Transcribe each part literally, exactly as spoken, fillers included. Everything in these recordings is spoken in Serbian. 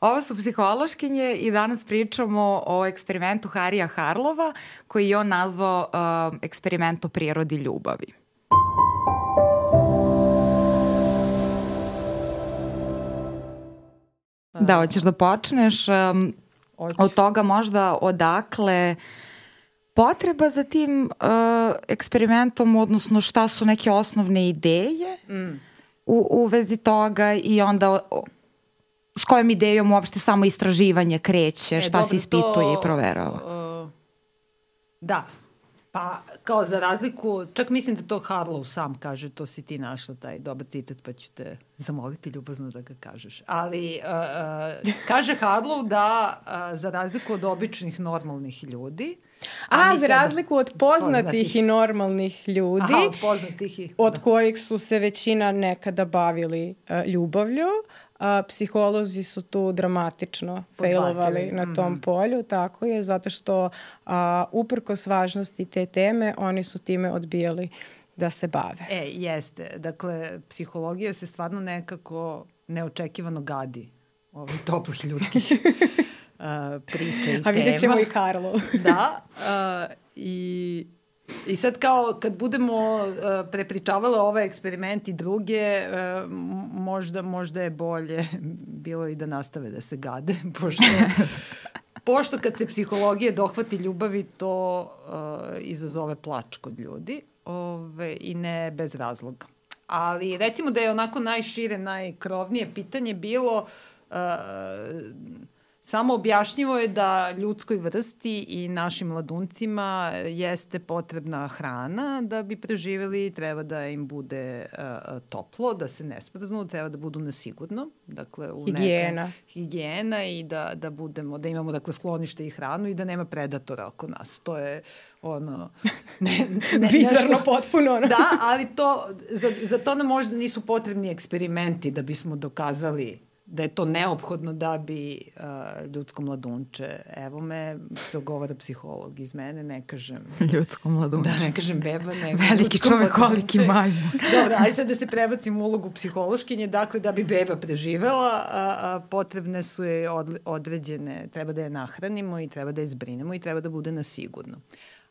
Ovo su psihološkinje i danas pričamo o eksperimentu Harija Harlova koji je on nazvao uh, eksperiment o prirodi ljubavi. Da, hoćeš da počneš um, od toga možda odakle potreba za tim uh, eksperimentom, odnosno šta su neke osnovne ideje mm. u, u vezi toga i onda o, s kojom idejom uopšte samo istraživanje kreće, e, šta dobro, se ispituje to, i proverava. Uh, da, pa kao za razliku, čak mislim da to Harlow sam kaže, to si ti našla taj dobar citat, pa ću te zamoliti ljubazno da ga kažeš. Ali uh, uh, kaže Harlow da uh, za razliku od običnih normalnih ljudi, A, a za razliku od poznatih, poznatih i normalnih ljudi, Aha, od, poznatih i, od kojih su se većina nekada bavili uh, ljubavlju, uh, psiholozi su tu dramatično failovali na tom mm-hmm. polju, tako je, zato što uh, uprkos važnosti te teme, oni su time odbijali da se bave. E, jeste. Dakle, psihologija se stvarno nekako neočekivano gadi ovih toplih ljudskih Uh, priče i tema. A vidjet ćemo i Karlo. Da. Uh, i, I sad kao kad budemo uh, prepričavale ovaj eksperiment i druge, uh, možda, možda je bolje bilo i da nastave da se gade, pošto, pošto kad se psihologije dohvati ljubavi, to uh, izazove plač kod ljudi ove, i ne bez razloga. Ali recimo da je onako najšire, najkrovnije pitanje bilo uh, samo objašnjivo je da ljudskoj vrsti i našim mladuncima jeste potrebna hrana da bi preživjeli, treba da im bude uh, toplo, da se ne smrznu, treba da budu na sigurno. Dakle, u higijena. Neka, higijena i da, da, budemo, da imamo dakle, sklonište i hranu i da nema predatora oko nas. To je ono... Ne, ne, bizarno nešto, potpuno. No. Da, ali to, za, za to nam možda nisu potrebni eksperimenti da bismo dokazali da je to neophodno da bi uh, ljudsko mladunče, evo me, zagovara psiholog iz mene, ne kažem... Ljudsko mladunče. Da, ne kažem beba, nego veliki čovek, koliki majmun. Dobro, ajde sad da se prebacim u ulogu psihološkinje, dakle da bi beba preživela, a, a, potrebne su je od, određene, treba da je nahranimo i treba da je zbrinemo i treba da bude na sigurno.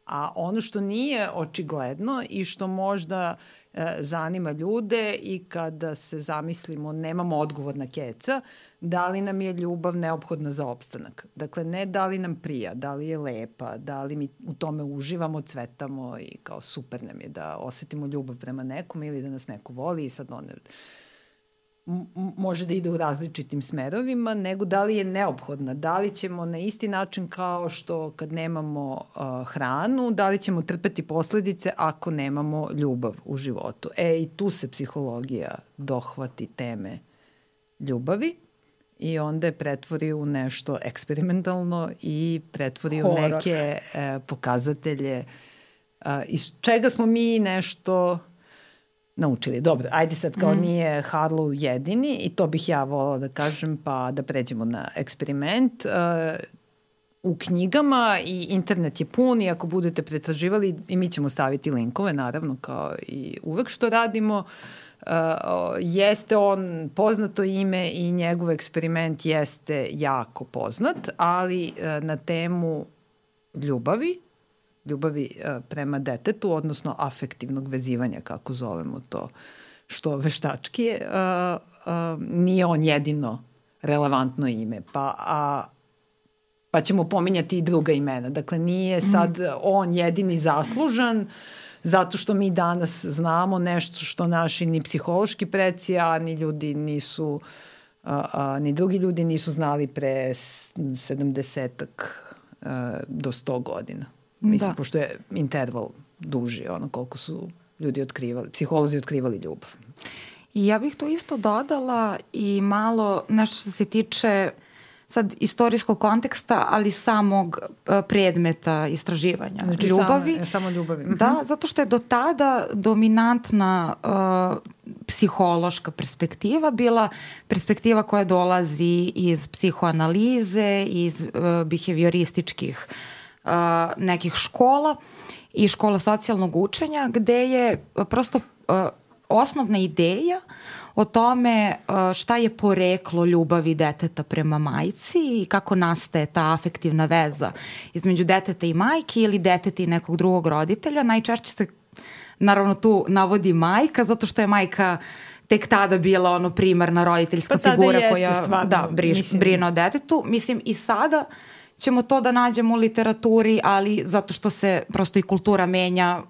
A ono što nije očigledno i što možda e, zanima ljude i kada se zamislimo, nemamo odgovor na keca, da li nam je ljubav neophodna za opstanak. Dakle, ne da li nam prija, da li je lepa, da li mi u tome uživamo, cvetamo i kao super nam je da osetimo ljubav prema nekom ili da nas neko voli i sad ono... može da ide u različitim smerovima, nego da li je neophodna, da li ćemo na isti način kao što kad nemamo uh, hranu, da li ćemo trpeti posledice ako nemamo ljubav u životu. E, i tu se psihologija dohvati teme ljubavi i onda je pretvori u nešto eksperimentalno i pretvori Horror. u neke uh, pokazatelje uh, iz čega smo mi nešto... naučili. Dobro, ajde sad kao mm. nije Harlow jedini i to bih ja volala da kažem pa da pređemo na eksperiment. Uh, u knjigama i internet je pun i ako budete pretraživali i mi ćemo staviti linkove naravno kao i uvek što radimo. Uh, jeste on poznato ime i njegov eksperiment jeste jako poznat, ali uh, na temu ljubavi ljubavi uh, prema detetu, odnosno afektivnog vezivanja, kako zovemo to, što veštački je, uh, uh, nije on jedino relevantno ime, pa, a, pa ćemo pominjati i druga imena. Dakle, nije sad mm. on jedini zaslužan, zato što mi danas znamo nešto što naši ni psihološki preci, a ni ljudi nisu, uh, uh, ni drugi ljudi nisu znali pre sedamdesetak uh, do sto godina. Mislim, da. Pošto je interval duži, ono koliko su ljudi otkrivali, psiholozi otkrivali ljubav. I ja bih to isto dodala i malo nešto što se tiče sad istorijskog konteksta, ali samog predmeta istraživanja. Znači, ljubavi. Samo, samo ljubavi. Da, zato što je do tada dominantna uh, psihološka perspektiva bila perspektiva koja dolazi iz psihoanalize, iz uh, behaviorističkih Uh, nekih škola i škola socijalnog učenja gde je prosto uh, osnovna ideja o tome šta je poreklo ljubavi deteta prema majci i kako nastaje ta afektivna veza između deteta i majke ili deteta i nekog drugog roditelja. Najčešće se naravno tu navodi majka, zato što je majka tek tada bila ono primarna roditeljska pa figura koja stvarno, da, briš, brine o detetu. Mislim, i sada ćemo to da nađemo u literaturi, ali zato što se prosto i kultura menja,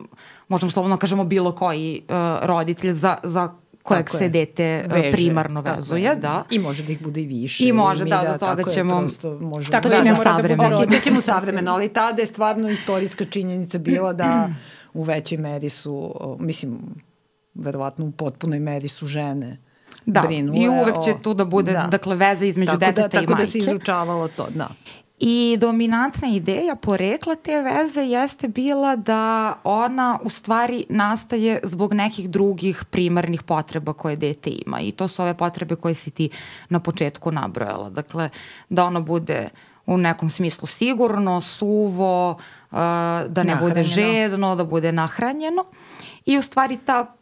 možemo slobodno kažemo bilo koji uh, roditelj za, za kojeg tako se je. dete Veže, primarno vezuje. Da. I može da ih bude i više. I može, da, do toga ćemo... Je, tako da, da, da savremeno. Da okay, to ćemo savremeno, ali tada je stvarno istorijska činjenica bila da u većoj meri su, mislim, verovatno u potpunoj meri su žene da, brinule. I uvek će tu da bude, da. dakle, veza između tako deteta da, i majke. Tako da se izučavalo to, da. I dominantna ideja porekla te veze jeste bila da ona u stvari nastaje zbog nekih drugih primarnih potreba koje dete ima. I to su ove potrebe koje si ti na početku nabrojala. Dakle, da ono bude u nekom smislu sigurno, suvo, uh, da ne bude žedno, da bude nahranjeno. I u stvari ta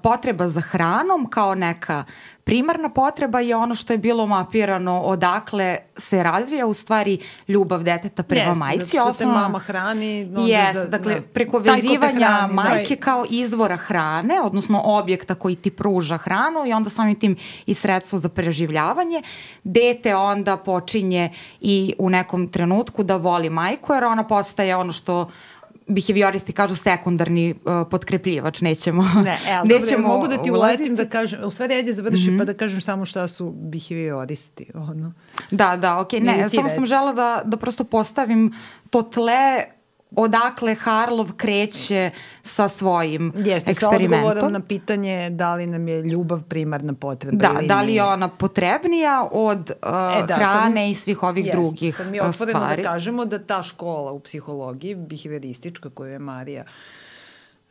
potreba za hranom kao neka primarna potreba je ono što je bilo mapirano odakle se razvija u stvari ljubav deteta prema Jeste, majci. Jeste, zato što te mama hrani. Jeste, dakle, da, preko vezivanja hrani, majke da. kao izvora hrane, odnosno objekta koji ti pruža hranu i onda samim tim i sredstvo za preživljavanje. Dete onda počinje i u nekom trenutku da voli majku, jer ona postaje ono što behavioristi kažu sekundarni uh, potkrepljivač, nećemo ne, el, nećemo dobro, mogu da ti uletim da kažem, u stvari ajde završi mm-hmm. pa da kažem samo šta su behavioristi. Ono. Da, da, okej, okay. ne, samo reći. sam žela da, da prosto postavim to tle odakle Harlov kreće sa svojim Jeste, eksperimentom. Jeste, sa odgovorom na pitanje da li nam je ljubav primarna potreba. Da, ili da li je ona potrebnija od uh, e, da, hrane sam, i svih ovih jest, drugih stvari. Sad mi otvoreno da kažemo da ta škola u psihologiji, behavioristička koju je Marija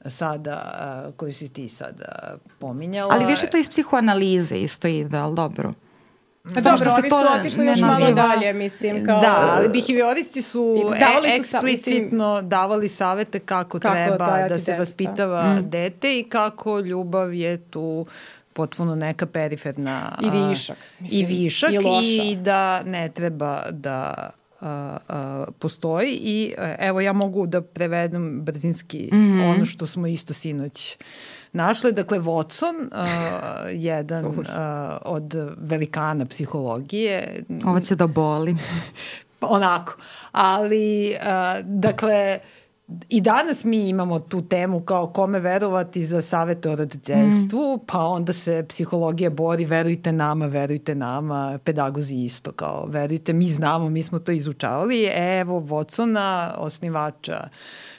sada, uh, koju si ti sada pominjala. Ali više to iz psihoanalize isto ide, ali dobro. A dobro, što ovi su otišli još malo naziva. dalje, mislim. Kao... Da, ali behavioristi su, davali e, eksplicitno sa, davali savete kako, kako treba da se dete, vaspitava mm. dete i kako ljubav je tu potpuno neka periferna... I višak. Mislim, I višak i, i da ne treba da... Uh, uh, postoji i uh, evo ja mogu da prevedem brzinski mm-hmm. ono što smo isto sinoć našli. Dakle, Watson, uh, jedan uh, od velikana psihologije. Ovo će da boli. Onako. Ali, uh, dakle, i danas mi imamo tu temu kao kome verovati za savete o roditeljstvu, mm. pa onda se psihologija bori, verujte nama, verujte nama, pedagozi isto kao, verujte, mi znamo, mi smo to izučavali. Evo Watsona, osnivača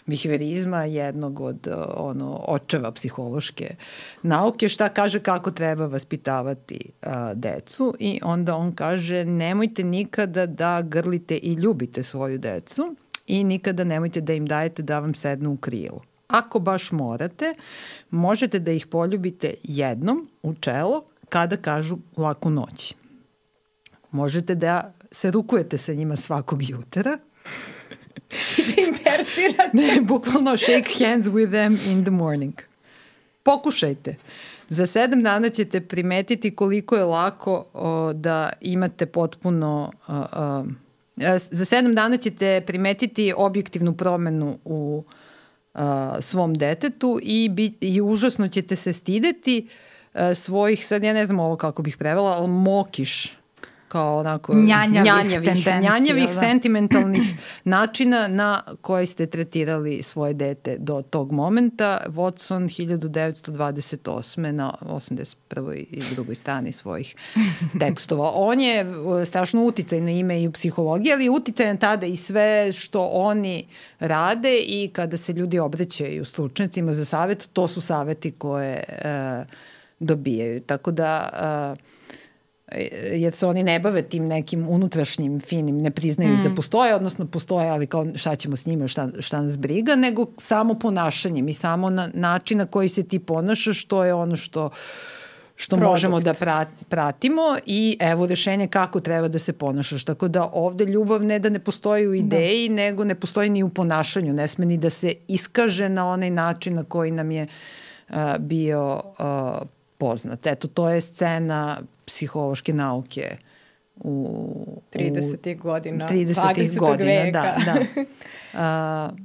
behaviorizma, jednog od ono, očeva psihološke nauke, šta kaže kako treba vaspitavati a, decu i onda on kaže nemojte nikada da grlite i ljubite svoju decu, i nikada nemojte da im dajete da vam sednu u krilo. Ako baš morate, možete da ih poljubite jednom u čelo kada kažu laku noć. Možete da se rukujete sa njima svakog jutra. I da im persirate. Ne, bukvalno shake hands with them in the morning. Pokušajte. Za sedam dana ćete primetiti koliko je lako o, da imate potpuno... O, o, Za sedam dana ćete primetiti objektivnu promenu u uh, svom detetu i, bi, i užasno ćete se stideti uh, svojih, sad ja ne znam ovo kako bih prevela, ali mokiš, kao onako njanjavih, njanjavih, njanjavih da. sentimentalnih načina na koje ste tretirali svoje dete do tog momenta. Watson hiljadu devetsto dvadeset osme na osamdeset prvoj i drugoj strani svojih tekstova. On je strašno uticajno ime i u psihologiji, ali uticajan tada i sve što oni rade i kada se ljudi obraćaju stručnjacima za savjet, to su savjeti koje uh, dobijaju. Tako da... Uh, jer se oni ne bave tim nekim unutrašnjim finim, ne priznaju mm. da postoje, odnosno postoje, ali kao šta ćemo s njima, šta, šta nas briga, nego samo ponašanjem i samo na način na koji se ti ponašaš, što je ono što, što možemo da pratimo i evo rešenje kako treba da se ponašaš. Tako da ovde ljubav ne da ne postoji u ideji, da. nego ne postoji ni u ponašanju, ne sme ni da se iskaže na onaj način na koji nam je uh, bio uh, poznat. Eto, to je scena psihološke nauke u tridesetih godina, tridesetih godina, veka. da, da. Uh,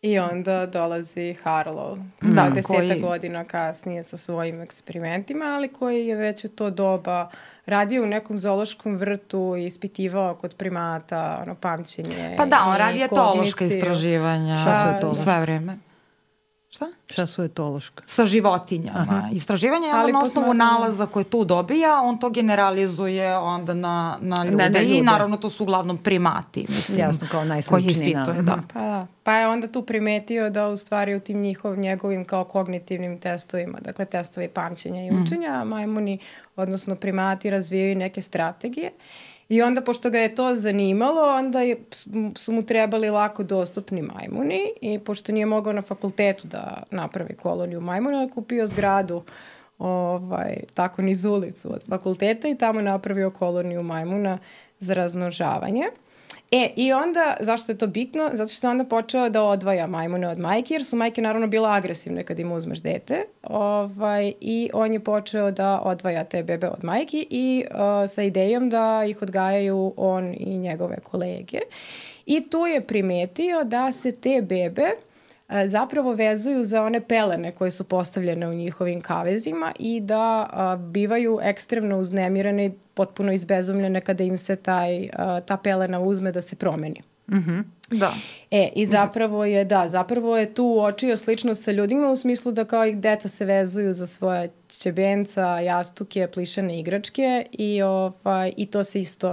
I onda dolazi Harlow, da, deseta koji... godina kasnije sa svojim eksperimentima, ali koji je već u to doba radio u nekom zoološkom vrtu i ispitivao kod primata ono, pamćenje. Pa da, on radi etološka istraživanja. Šta su etološka? Sve vreme. Šta? Šta su etološka? Sa životinjama. Aha. Istraživanje je onda na osnovu nalaza koje tu dobija, on to generalizuje onda na, na ljude, na, na ljude i naravno to su uglavnom primati. Mislim, jasno, kao najsličniji. Da. Pa da. Pa je onda tu primetio da u stvari u tim njihov, njegovim kao kognitivnim testovima, dakle testovi pamćenja i učenja, mm. majmuni, odnosno primati razvijaju neke strategije. I onda, pošto ga je to zanimalo, onda je, su mu trebali lako dostupni majmuni i pošto nije mogao na fakultetu da napravi koloniju majmuna, je kupio zgradu ovaj, tako niz ulicu od fakulteta i tamo napravio koloniju majmuna za razmnožavanje. E, i onda, zašto je to bitno? Zato što je onda počeo da odvaja majmune od majke, jer su majke naravno bila agresivne kad im uzmeš dete. Ovaj, I on je počeo da odvaja te bebe od majki i uh, sa idejom da ih odgajaju on i njegove kolege. I tu je primetio da se te bebe uh, zapravo vezuju za one pelene koje su postavljene u njihovim kavezima i da uh, bivaju ekstremno uznemirene, potpuno izbezumljene kada im se taj, uh, ta pelena uzme da se promeni. Mm-hmm. Da. E, i zapravo je, da, zapravo je tu uočio sličnost sa ljudima u smislu da kao i deca se vezuju za svoje ćebenca, jastuke, plišane igračke i, ovaj, i to se isto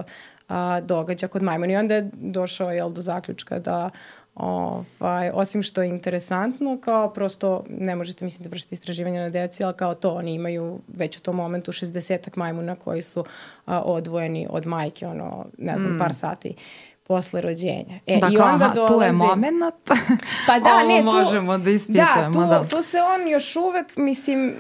uh, događa kod majmuna. I onda je došao jel, do zaključka da Ovaj, osim što je interesantno, kao prosto ne možete mislim da vršite istraživanja na deci, ali kao to oni imaju već u tom momentu šezdesetak majmuna koji su a, odvojeni od majke, ono, ne znam, mm. par sati posle rođenja. E, dakle, i onda aha, dolazi... tu je moment. Pa da, ovo ne, tu... možemo da ispitujemo. Da, tu, da. tu se on još uvek, mislim,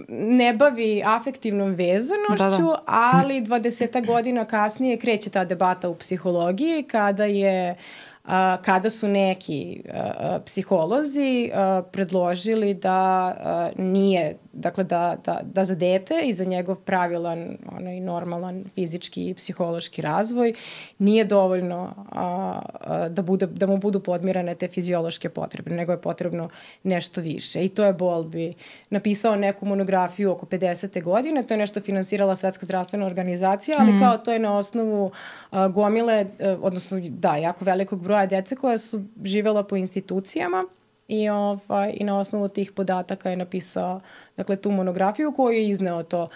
ne bavi afektivnom vezanošću, da, da. ali dvadeset godina kasnije kreće ta debata u psihologiji kada je Uh, kada su neki uh, psiholozi uh, predložili da uh, nije, dakle da, da, da za dete i za njegov pravilan, onaj normalan fizički i psihološki razvoj nije dovoljno uh, uh, da, bude, da mu budu podmirane te fiziološke potrebe, nego je potrebno nešto više. I to je Bowlby napisao neku monografiju oko pedesete godine, to je nešto finansirala Svetska zdravstvena organizacija, ali mm. kao to je na osnovu uh, gomile, uh, odnosno da, jako velikog broja dece koja su živela po institucijama i, ovaj, i na osnovu tih podataka je napisao dakle, tu monografiju koju je izneo to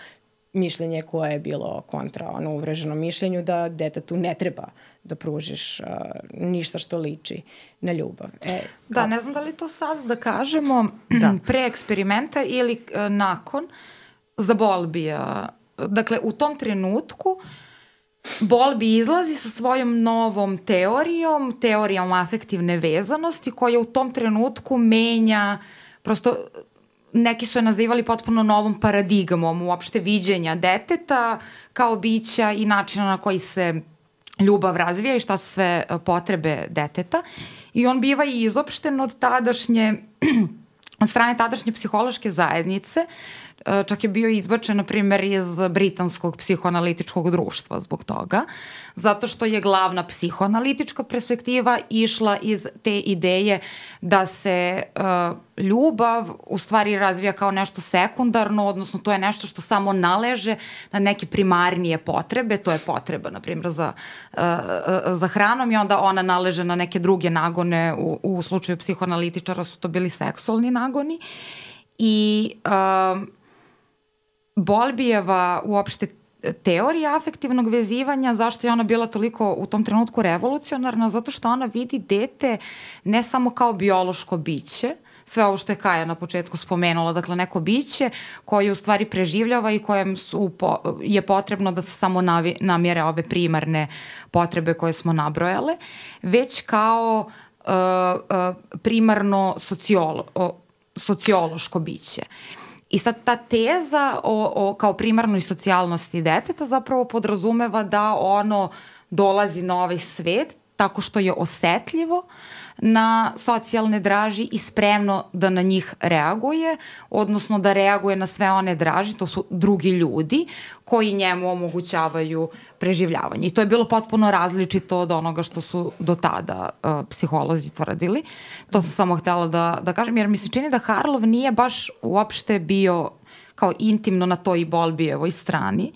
mišljenje koje je bilo kontra ono uvreženom mišljenju da detetu ne treba da pružiš uh, ništa što liči na ljubav. E, da, ne znam da li to sad da kažemo da. pre eksperimenta ili uh, nakon za Bowlbya. Dakle, u tom trenutku Bowlby izlazi sa svojom novom teorijom, teorijom afektivne vezanosti koja u tom trenutku menja, prosto neki su je nazivali potpuno novom paradigmom uopšte viđenja deteta kao bića i načina na koji se ljubav razvija i šta su sve potrebe deteta. I on biva i izopšten od tadašnje, od strane tadašnje psihološke zajednice, čak je bio izbačen, na primjer, iz britanskog psihoanalitičkog društva zbog toga, zato što je glavna psihoanalitička perspektiva išla iz te ideje da se uh, ljubav u stvari razvija kao nešto sekundarno, odnosno to je nešto što samo naleže na neke primarnije potrebe, to je potreba, na primjer, za, uh, za hranom i onda ona naleže na neke druge nagone, u, u slučaju psihoanalitičara su to bili seksualni nagoni i uh, Bowlbyjeva uopšte teorija afektivnog vezivanja, zašto je ona bila toliko u tom trenutku revolucionarna, zato što ona vidi dete ne samo kao biološko biće, sve ovo što je Kaja na početku spomenula, dakle neko biće koje u stvari preživljava i kojem su po, je potrebno da se samo navi, namjere ove primarne potrebe koje smo nabrojale, već kao uh, uh, primarno sociolo, uh, sociološko biće. I sad ta teza o, o, kao primarnoj socijalnosti deteta zapravo podrazumeva da ono dolazi na ovaj svet tako što je osetljivo na socijalne draži i spremno da na njih reaguje, odnosno da reaguje na sve one draži, to su drugi ljudi koji njemu omogućavaju preživljavanje. I to je bilo potpuno različito od onoga što su do tada uh, psiholozi tvrdili. To sam samo htela da, da kažem, jer mi se čini da Harlov nije baš uopšte bio kao intimno na toj Bowlbyjevoj strani.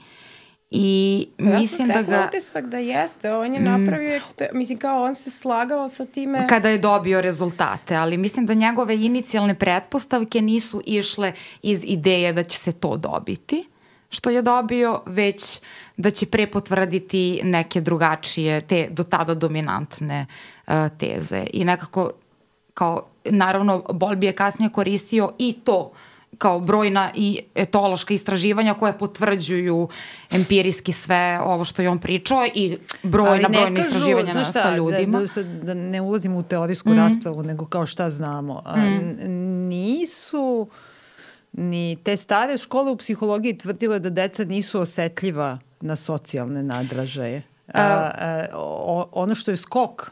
I ja mislim da ga... Ja sam utisak da jeste, on je napravio, eksper... mislim kao on se slagao sa time... Kada je dobio rezultate, ali mislim da njegove inicijalne pretpostavke nisu išle iz ideje da će se to dobiti, što je dobio, već da će prepotvrditi neke drugačije, te do tada dominantne uh, teze. I nekako, kao, naravno, Bowlby je kasnije koristio i to kao brojna i etološka istraživanja koje potvrđuju empirijski sve ovo što je on pričao i brojna, brojna istraživanja na, šta, sa ljudima. Da, da, da ne ulazimo u teorijsku mm. raspravu, nego kao šta znamo. A, mm. Nisu ni te stare škole u psihologiji tvrdile da deca nisu osetljiva na socijalne nadražaje. A, a, o, ono što je skok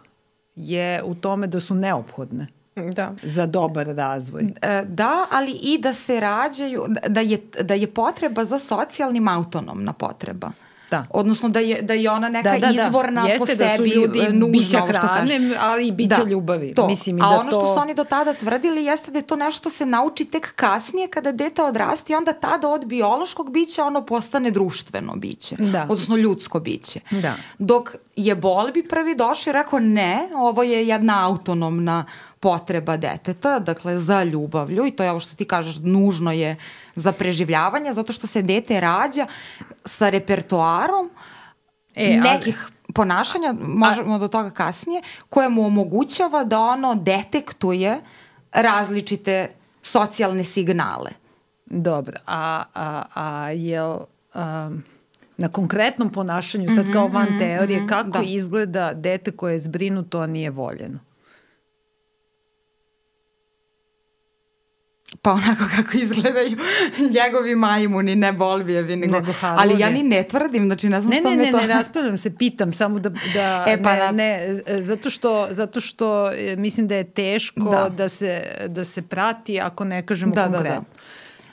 je u tome da su neophodne. Da. Za dobar razvoj. Da, ali i da se rađaju, da je, da je potreba za socijalnim autonomna potreba. Da. Odnosno da je, da je ona neka da, da, izvorna da. po Jeste sebi da su ljudi nužna, bića hrane, ali i bića da, ljubavi. To. Mislim, i a da ono to... što su oni do tada tvrdili jeste da je to nešto se nauči tek kasnije kada dete odrasti i onda tada od biološkog bića ono postane društveno biće. Da. Odnosno ljudsko biće. Da. Dok je Bowlby prvi došao i rekao ne, ovo je jedna autonomna potreba deteta, dakle za ljubavlju i to je ovo što ti kažeš, nužno je za preživljavanje, zato što se dete rađa sa repertoarom e, nekih ali... ponašanja, možemo a... do toga kasnije, koje mu omogućava da ono detektuje različite socijalne signale. Dobro, a, a, a jel... Um... na konkretnom ponašanju, sad kao van teorije, mm-hmm, kako da. izgleda dete koje je zbrinuto, a nije voljeno? Pa onako kako izgledaju njegovi majmuni, ne Bowlbyjevi, nego, nego ali ja ni ne tvrdim, znači ne znam ne, što ne, me ne, to... Ne, ne, raspravljam se, pitam samo da, da e, pa ne, da. ne, zato što, zato što mislim da je teško da, da, se, da se prati ako ne kažemo da, konkretno. Da, da.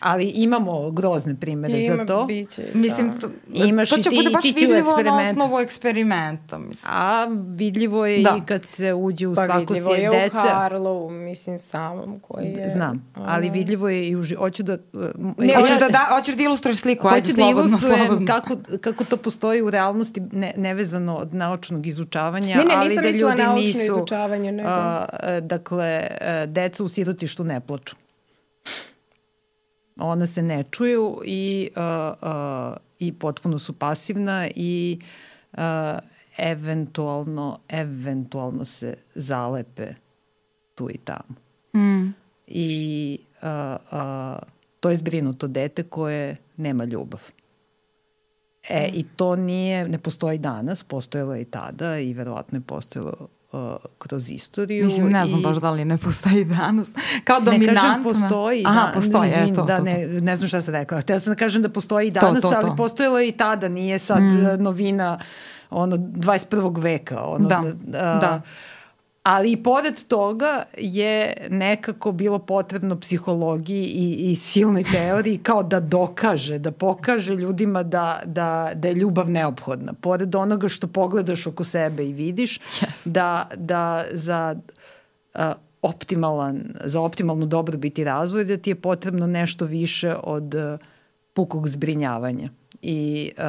Ali imamo grozne primere Ima za to. Biće, mislim, to, Imaš to će i ti, bude baš ti vidljivo na osnovu eksperimenta. Mislim. A vidljivo je da. i kad se uđe u pa svako sjed deca. Pa vidljivo je u Harlovu, mislim, samom koji je... Znam, ali vidljivo je i u... Hoću da... Ne, hoćeš, da, da, hoćeš da ilustruješ sliku, ajde, hoću slobodno, da ilustrujem slobodno. Kako, kako to postoji u realnosti ne, nevezano od naučnog izučavanja, ne, ne, ali da ljudi nisu... izučavanje, nego... A, dakle, deca u sirotištu ne plaču. Ona se ne čuju i, uh, uh, i potpuno su pasivna i uh, eventualno, eventualno se zalepe tu i tamo. Mm. I uh, uh, to je zbrinuto dete koje nema ljubav. E, mm. I to nije, ne postoji danas, postojalo je i tada i verovatno je postojalo Uh, kroz istoriju. Mislim, ne znam i... baš da li ne postoji danas. Kao dominantna. Ne kažem postoji. Aha, da, postoji, izvin, je, to, da, to, to. Ne, ne znam šta sam rekla. Htela sam da kažem da postoji i danas, to, to, to. ali postojalo je i tada. Nije sad mm. novina ono, dvadeset prvog veka. Ono, da, uh, da. Ali i pored toga je nekako bilo potrebno psihologiji i, i silnoj teoriji kao da dokaže, da pokaže ljudima da, da, da je ljubav neophodna. Pored onoga što pogledaš oko sebe i vidiš, yes. da, da za uh, optimalan, za optimalnu dobrobit i razvoj da ti je potrebno nešto više od uh, pukog zbrinjavanja i uh,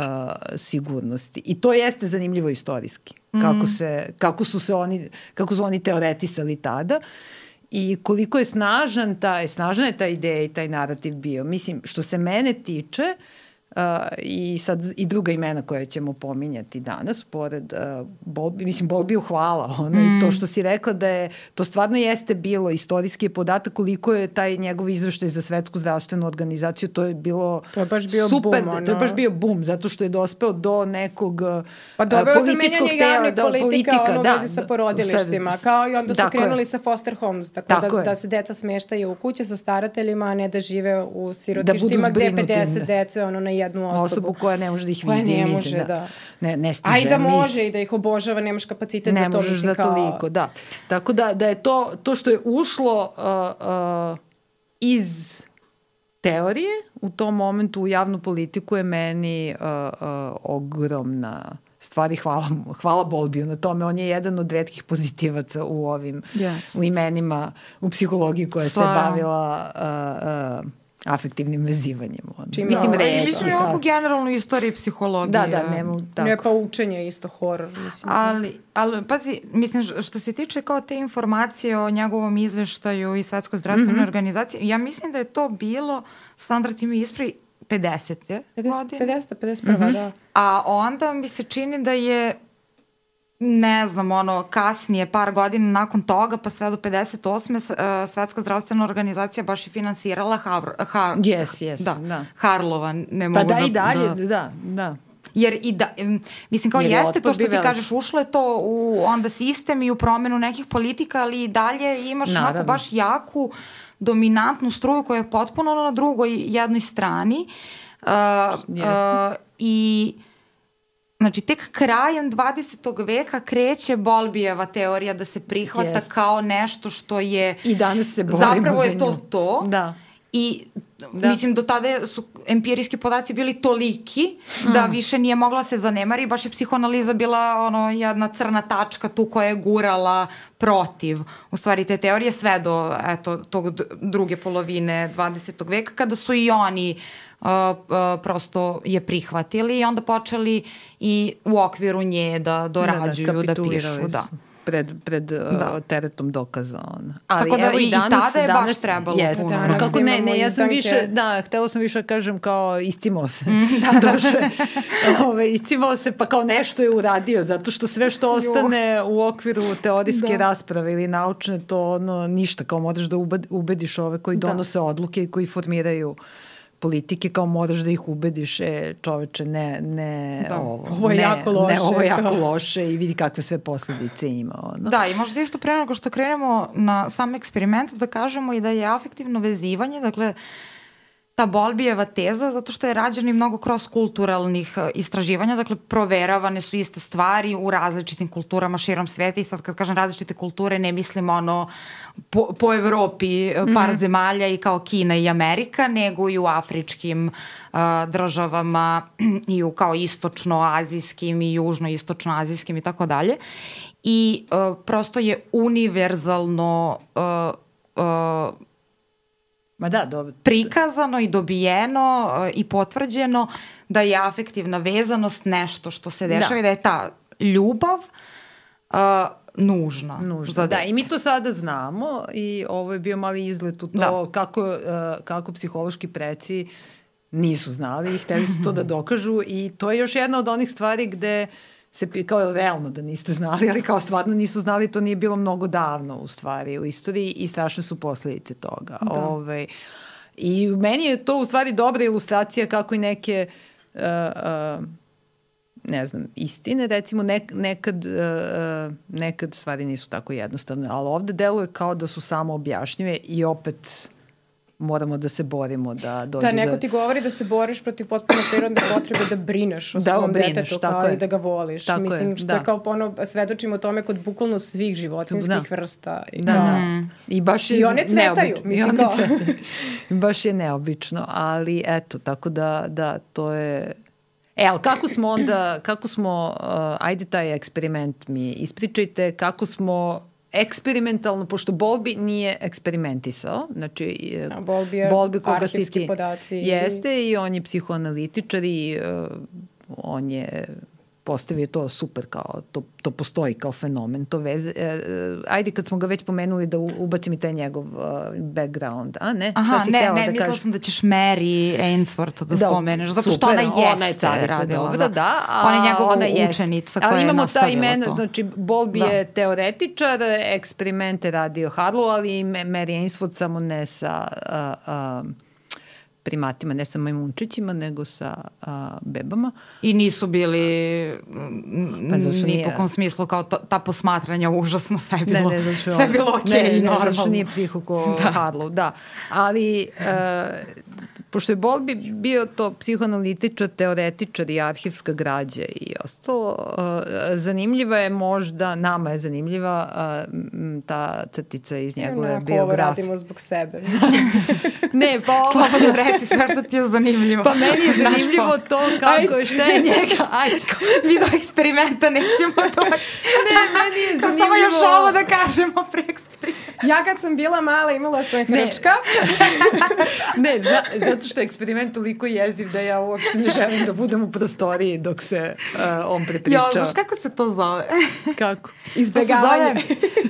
sigurnosti. I to jeste zanimljivo istorijski. Mm. Kako, se, kako, su se oni, kako su oni teoretisali tada i koliko je snažan taj, snažna je ta ideja i taj narativ bio. Mislim, što se mene tiče, uh, i sad i druga imena koje ćemo pominjati danas, pored uh, Bowlby, mislim, Bowlbyu hvala, ono, mm. i to što si rekla da je, to stvarno jeste bilo istorijski podatak koliko je taj njegov izveštaj za Svetsku zdravstvenu organizaciju, to je bilo to je baš bio super, boom, ono. To je baš bio boom, zato što je dospeo do nekog pa uh, političkog tela, do politika, politika, ono, da, vezi sa porodilištima, sad, kao i onda su krenuli je. sa foster homes, tako, tako da, da se deca smeštaju u kuće sa starateljima, a ne da žive u sirotištima da gde pedeset dece ono, na jednu osobu. Osobu koja ne može da ih koja vidi. ne mislim, može, da. da. Ne, ne stiže. Aj da mis... može i da ih obožava, nemaš kapacitet ne za to. možeš za kao... toliko, da. Tako da, da je to, to što je ušlo uh, uh, iz teorije u tom momentu u javnu politiku je meni uh, uh, ogromna stvari. Hvala, hvala Bowlbiju na tome. On je jedan od retkih pozitivaca u ovim yes. u imenima u psihologiji koja Stvarno. se bavila uh, uh, afektivnim vezivanjem. Čim mislim, da, reči. Mislim je oko generalno istoriji psihologije. Da, da, nema tako. Ne, pa učenje je isto horor. Mislim. Ali, ali, pazi, mislim, što se tiče kao te informacije o njegovom izveštaju i Svetskoj zdravstvenoj mm-hmm. organizaciji, ja mislim da je to bilo, Sandra, ti mi ispravi, pedesete godine. pedeset, pedeset prva, mm-hmm. da. A onda mi se čini da je, ne znam, ono, kasnije, par godina nakon toga, pa sve do pedeset osme Svetska zdravstvena organizacija baš je finansirala Har, Har, yes, yes, da, da. Harlova. Ne pa mogu da, da, i dalje, da, da, da. Jer i da, mislim kao Jer jeste to što ti velik. kažeš, ušlo je to u onda sistem i u promenu nekih politika, ali i dalje imaš onako baš jaku, dominantnu struju koja je potpuno na drugoj jednoj strani. Uh, uh, I znači tek krajem dvadesetog veka kreće Bowlbyjeva teorija da se prihvata Jest. kao nešto što je i danas se borimo zapravo je za to nju. to da. I da. mislim do tada su empirijski podaci bili toliki mm. da više nije mogla se zanemari, baš je psihoanaliza bila ono jedna crna tačka tu koja je gurala protiv u stvari te teorije sve do eto tog druge polovine dvadesetog veka kada su i oni Uh, uh, prosto je prihvatili i onda počeli i u okviru nje da dorađuju, da, da, da pišu. Da. Pred, pred da. uh, teretom dokaza. Ona. Ali tako da evo, i, danas, i tada je danas, baš trebalo jest, puno. Danas kako ne, ne, ja sam više, da, htela sam više da kažem kao iscimao se. Mm, da, Došle, ove, iscimao se pa kao nešto je uradio, zato što sve što ostane u okviru teorijske da. rasprave ili naučne, to ono, ništa, kao moraš da ubediš ove koji donose da. odluke i koji formiraju politike, kao moraš da ih ubediš, e, čoveče, ne, ne, da, ovo, ovo je ne, jako loše. Ne, ovo je jako loše i vidi kakve sve posledice ima. Ono. Da, i možda isto pre nego što krenemo na sam eksperiment, da kažemo i da je afektivno vezivanje, dakle, ta Bowlbyjeva teza, zato što je rađeno i mnogo cross-kulturalnih istraživanja, dakle, proveravane su iste stvari u različitim kulturama širom sveta i sad kad kažem različite kulture ne mislim ono po, po Evropi par mm-hmm. zemalja i kao Kina i Amerika, nego i u afričkim uh, državama i u kao istočno-azijskim i južno-istočno-azijskim i tako dalje. I uh, prosto je univerzalno uh, uh, Ma da, dobro. prikazano i dobijeno uh, i potvrđeno da je afektivna vezanost nešto što se dešava da. i da je ta ljubav uh, nužna. Nužna, da. I mi to sada znamo i ovo je bio mali izlet u to da. kako, uh, kako psihološki preci nisu znali i hteli su to da dokažu i to je još jedna od onih stvari gde se, kao realno da niste znali, ali kao stvarno nisu znali, to nije bilo mnogo davno u stvari u istoriji i strašne su posledice toga. Da. Ove, i meni je to u stvari dobra ilustracija kako i neke uh, uh, ne znam, istine, recimo nek, nekad, uh, nekad stvari nisu tako jednostavne, ali ovde deluje kao da su samo objašnjive i opet moramo da se borimo da dođe da... neko ti govori da se boriš protiv potpuno prirodne potrebe da brineš o da, svom brineš, detetu kao je. I da ga voliš. Tako Mislim, je, što da. je kao ono, svedočimo tome kod bukvalno svih životinskih da. vrsta. I, da, kao... da. I baš je I one cvetaju. Mislim, I one kao... cvetaju. Baš je neobično, ali eto, tako da, da, to je... E, ali kako smo onda, kako smo, uh, ajde taj eksperiment mi ispričajte, kako smo eksperimentalno, pošto Bowlby nije eksperimentisao, znači A, Bowlby je Bowlby koga arhivski si ti, podaci. Jeste i on je psihoanalitičar i uh, on je postavio to super kao, to, to postoji kao fenomen, to veze. Uh, ajde kad smo ga već pomenuli da ubacim i taj njegov uh, background, a ne? Aha, ne, ne, da mislila kažeš? sam da ćeš Mary Ainsworth da, da spomeneš, zato što super, ona jeste ona je carica, radila. Dobra, da, a ona je njegova ona učenica jest. koja je nastavila ta imena, to. Znači, Bowlby da. je teoretičar, eksperimente radio Harlow, ali Mary Ainsworth samo ne sa... Uh, uh, primatima, ne sa majmunčićima, nego sa a, bebama. I nisu bili pa, ni nije... po kom smislu kao to, ta posmatranja užasno, sve je bilo, ne, ne, sve je bilo okej, okay, normalno. Ne, ne, zašto nije psiho ko da. Harlow, da. Ali uh, pošto je Bowlby bio to psihoanalitičar, teoretičar i arhivska građa i ostalo, uh, zanimljiva je možda, nama je zanimljiva uh, ta crtica iz njegove Onako, biografije. ovo radimo zbog sebe. Ne, pa ovo... Slobodno reci sve što ti je zanimljivo. Pa meni je zanimljivo to kako je, šta je njega. Ajde. Mi do eksperimenta nećemo doći. Ne, meni je zanimljivo. Samo još ovo da kažemo pre eksperimenta. Ja kad sam bila mala imala sam hrčka. Ne, zna, zato što je eksperiment toliko jeziv da ja uopšte ne želim da budem u prostoriji dok se uh, on prepriča. Jo, znaš kako se to zove? Kako? Izbegavanje.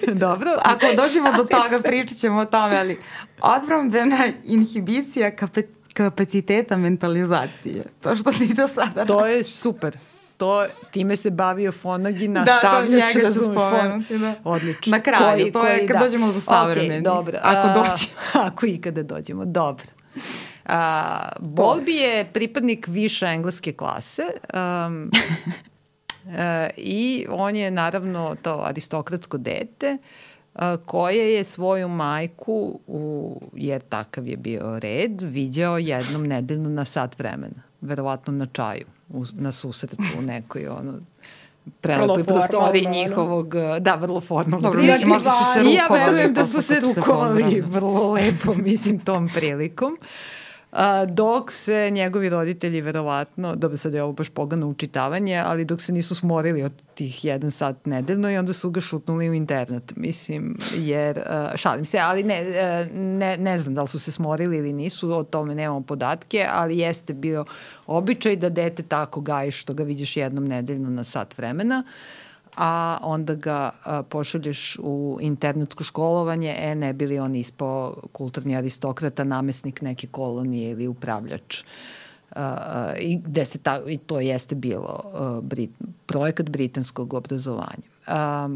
Dobro. Ako dođemo do toga, pričat ćemo o tome, ali odbrambena inhibicija kapaciteta kapaciteta mentalizacije. To što ti do sada To radiš. je super. To, time se bavio Fonagi, Da, nastavljač, to njega ću razumiješ, spomenuti, da. Odlično. Na kraju, koji, to je koji, kad da. dođemo do savremeni. Ok, dobro. Ako A, dođemo. Ako ikada dođemo, dobro. A, Bowlby je pripadnik više engleske klase um, a, i on je naravno to aristokratsko dete a, koje je svoju majku, u, jer takav je bio red, viđao jednom nedeljno na sat vremena. Verovatno na čaju, u, na susretu u nekoj ono, prelepoj prostoriji njihovog, da, vrlo formalno. Dobro, mislim, možda su se rukovali. I ja verujem da su se rukovali se vrlo lepo, mislim, tom prilikom. A, dok se njegovi roditelji verovatno, dobro sad je ovo baš pogano učitavanje, ali dok se nisu smorili od tih jedan sat nedeljno i onda su ga šutnuli u internet, mislim, jer, uh, šalim se, ali ne, uh, ne, ne znam da li su se smorili ili nisu, o tome nemamo podatke, ali jeste bio običaj da dete tako gaji što ga vidiš jednom nedeljno na sat vremena, a onda ga a, pošalješ u internetsko školovanje, e, ne bi li on ispao kulturni aristokrata, namesnik neke kolonije ili upravljač. A, a, i, gde se ta, I to jeste bilo a, Brit, projekat britanskog obrazovanja. A,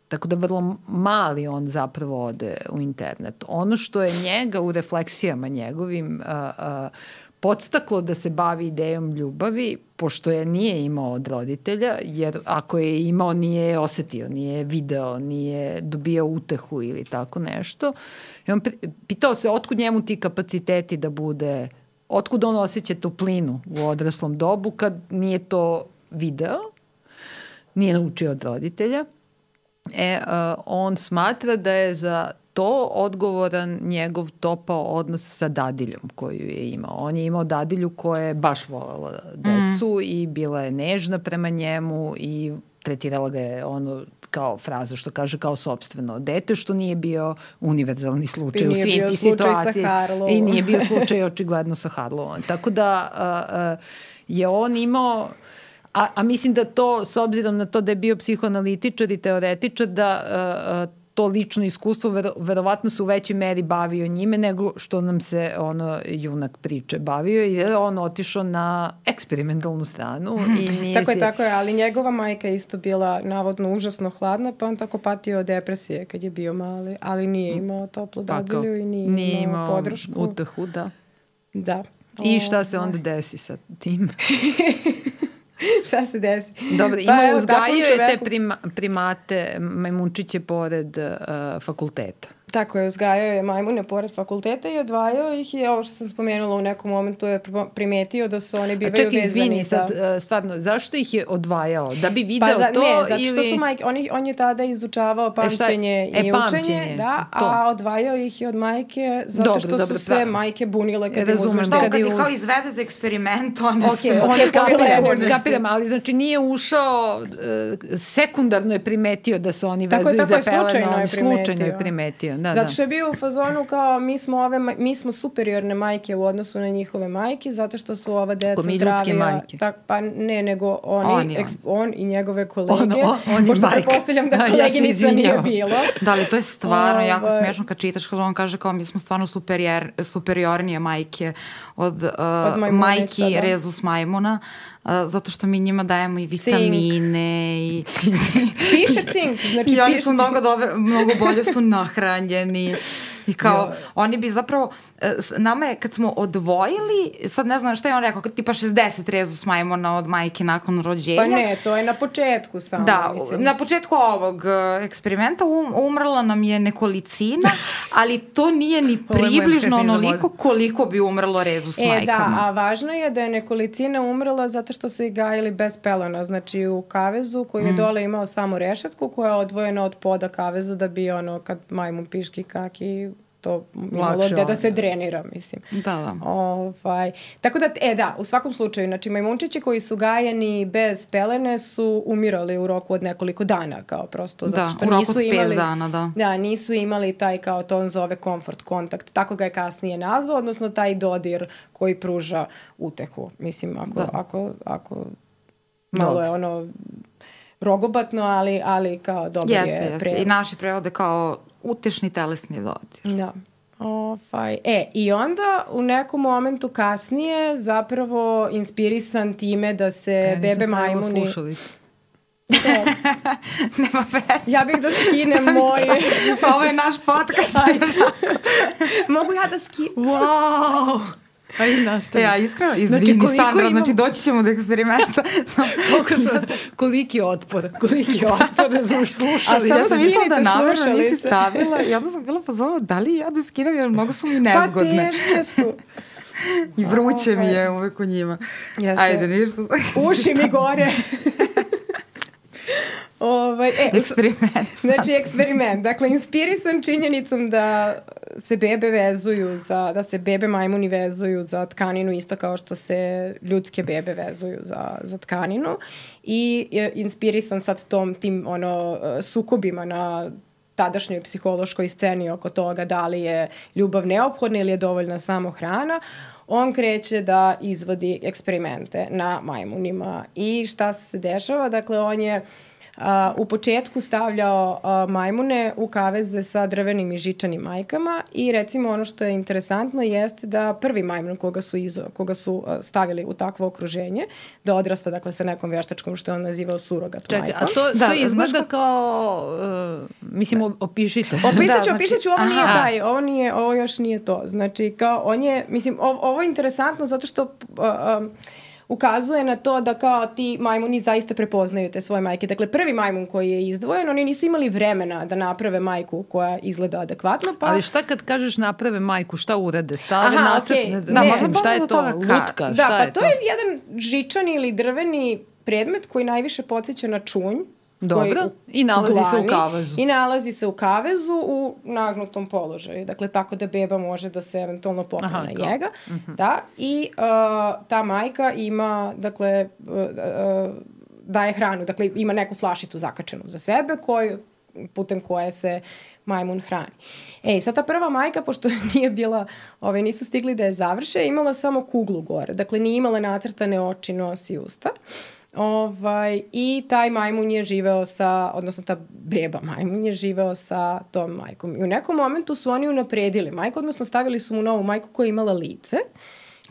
tako da vrlo mali on zapravo ode u internet. Ono što je njega u refleksijama njegovim a, a, podstaklo da se bavi idejom ljubavi, pošto je nije imao od roditelja, jer ako je imao nije je osetio, nije je video, nije dobio utehu ili tako nešto. I on pitao se otkud njemu ti kapaciteti da bude, otkud on osjeća toplinu u odraslom dobu kad nije to video, nije naučio od roditelja. E, uh, on smatra da je za to odgovoran njegov topao odnos sa dadiljom koju je imao. On je imao dadilju koja je baš voljela decu mm. i bila je nežna prema njemu i tretirala ga je ono kao fraza što kaže kao sopstveno dete, što nije bio univerzalni slučaj u svim ti situaciji. I nije bio slučaj očigledno sa Harlovom. Tako da uh, uh, je on imao A, a mislim da to, s obzirom na to da je bio psihoanalitičar i teoretičar, da uh, to lično iskustvo vero, verovatno se u većoj meri bavio njime nego što nam se ono junak priče bavio, jer on otišao na eksperimentalnu stranu. I nije tako je, si... tako je, ali njegova majka je isto bila navodno užasno hladna, pa on tako patio od depresije kad je bio mali, ali nije imao toplu dadilju i nije, nije imao, imao podršku. utehu, da. Da. I šta se onda desi sa tim? Šta se desi? Dobro, ima pa, uzgajio je te prima, primate, majmunčiće pored uh, fakulteta. Tako je, uzgajao je majmune pored fakulteta i odvajao ih i ovo što sam spomenula u nekom momentu je primetio da su oni bivaju vezani. A čekaj, izvini, za... sad, stvarno, zašto ih je odvajao? Da bi video pa za, to ne, zato ili... što su majke, on, on je tada izučavao pamćenje e, i e, učenje, da, to. A odvajao ih je od majke zato dobro, što dobro, su se pra... majke bunile kad im uzmeš. Što, kad ih kao izvede za eksperiment, one okay, su... Okay, kapiram, kapiram, ali znači nije ušao, sekundarno je primetio da su oni vezuju tako, za tako peleno, je slučajno je primetio. Da, zato da. što je bio u fazonu kao mi smo, ove, mi smo superiorne majke u odnosu na njihove majke, zato što su ova deca zdravija. Majke. Tak, pa ne, nego oni, on, eks, on i njegove kolege. On, on, on pošto pretpostavljam da koleginica ja nije bilo. Da, ali to je stvarno jako smiješno kad čitaš, kad on kaže kao mi smo stvarno superior, superiornije majke od, uh, od majki da. Rezus majmuna. Uh, zato što mi njima dajemo i vitamine i piše cink, znači i oni piše su mnogo, dobre, mnogo bolje su nahranjeni I kao, jo. oni bi zapravo, nama je kad smo odvojili, sad ne znam šta je on rekao, tipa šezdeset rezus majmuna od majke nakon rođenja. Pa ne, to je na početku samo. Da, mislim. na početku ovog eksperimenta um, umrla nam je nekolicina, ali to nije ni približno onoliko koliko bi umrlo rezus e, majkama. Da, a važno je da je nekolicina umrla zato što su ih gajili bez pelena, znači u kavezu koji je mm. dole imao samo rešetku koja je odvojena od poda kaveza da bi ono kad majmun piški kaki to imalo gde da se drenira, mislim. Da, da. Ovaj, tako da, e da, u svakom slučaju, znači majmunčići koji su gajeni bez pelene su umirali u roku od nekoliko dana, kao prosto, da, zato što u roku nisu od imali, pet dana, da. Da, nisu imali taj, kao to on zove komfort kontakt, tako ga je kasnije nazvao, odnosno taj dodir koji pruža utehu, mislim, ako, da. ako, ako malo Dobre. je ono rogobatno, ali, ali kao dobro jeste, je jeste. prevod. I naši prevode kao utešni telesni dodir. Da. Ofaj. E, i onda u nekom momentu kasnije zapravo inspirisan time da se ja, bebe majmuni... Nema veze. Ja bih da skinem moj... Ovo je naš podcast. Mogu ja da skinem? Wow! Ajde, nastavi. Ja, iskreno, izvini, znači, Sandra, imam... znači doći ćemo do eksperimenta. Koliki otpor, koliki otpor da smo slušali. A samo sam mislila da namerno nisi stavila i onda sam bila pozvala da li ja da skinem jer mnogo su mi nezgodne. Pa teške su. I vruće mi je uvek u njima. Jeste. Ajde, ništa. Uši mi gore. Ovaj, e, eksperiment. Znači, eksperiment. Dakle, inspirisan činjenicom da se bebe vezuju za, da se bebe majmuni vezuju za tkaninu isto kao što se ljudske bebe vezuju za, za tkaninu i je inspirisan sad tom, tim ono, sukobima na tadašnjoj psihološkoj sceni oko toga da li je ljubav neophodna ili je dovoljna samo hrana. On kreće da izvodi eksperimente na majmunima i šta se dešava? Dakle, on je Uh, u početku stavljao uh, majmune u kaveze sa drvenim i žičanim majkama i recimo ono što je interesantno jeste da prvi majmun koga su, izo, koga su uh, stavili u takvo okruženje, da odrasta dakle sa nekom veštačkom što je on nazivao surogat Čekaj, majkom. a to, da, to izgleda znaš, kao, uh, mislim, opišite. Opisat ću, da, opisat ću, ovo znači, nije taj, ovo, nije, ovo još nije to. Znači, kao on je, mislim, ovo, ovo je interesantno zato što... Uh, um, ukazuje na to da kao ti majmuni zaista prepoznaju te svoje majke. Dakle, prvi majmun koji je izdvojen, oni nisu imali vremena da naprave majku koja izgleda adekvatno. Pa... Ali šta kad kažeš naprave majku, šta urade? Stave Aha, nacrt, okay. ne znam, ne, mislim, šta je to? Lutka, da, šta pa je to? Da, pa to je jedan žičani ili drveni predmet koji najviše podsjeća na čunj. Dobro, i nalazi glani, se u kavezu. I nalazi se u kavezu u nagnutom položaju. Dakle, tako da beba može da se eventualno popne Aha, na njega. Uh-huh. Da, i uh, ta majka ima, dakle, uh, uh, daje hranu. Dakle, ima neku flašicu zakačenu za sebe, koju, putem koje se majmun hrani. Ej, sad ta prva majka, pošto nije bila, ove, nisu stigli da je završe, imala samo kuglu gore. Dakle, nije imala nacrtane oči, nos i usta. Ovaj, i taj majmun je živeo sa, odnosno ta beba majmun je živeo sa tom majkom. I u nekom momentu su oni unapredili majku, odnosno stavili su mu novu majku koja je imala lice.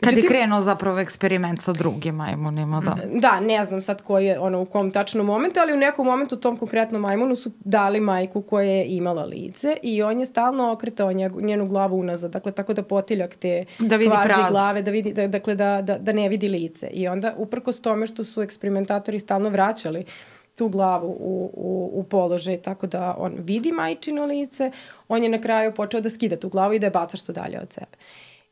Kad je krenuo zapravo eksperiment sa drugim majmunima, da. Da, ne znam sad koji je, ono, u kom tačnom momentu, ali u nekom momentu tom konkretnom majmunu su dali majku koja je imala lice i on je stalno okretao njenu glavu unazad, dakle, tako da potiljak te da vidi kvazi prazno. glave, da vidi, da, dakle, da, da, da ne vidi lice. I onda, uprkos tome što su eksperimentatori stalno vraćali tu glavu u, u, u položaj, tako da on vidi majčino lice, on je na kraju počeo da skida tu glavu i da je baca što dalje od sebe.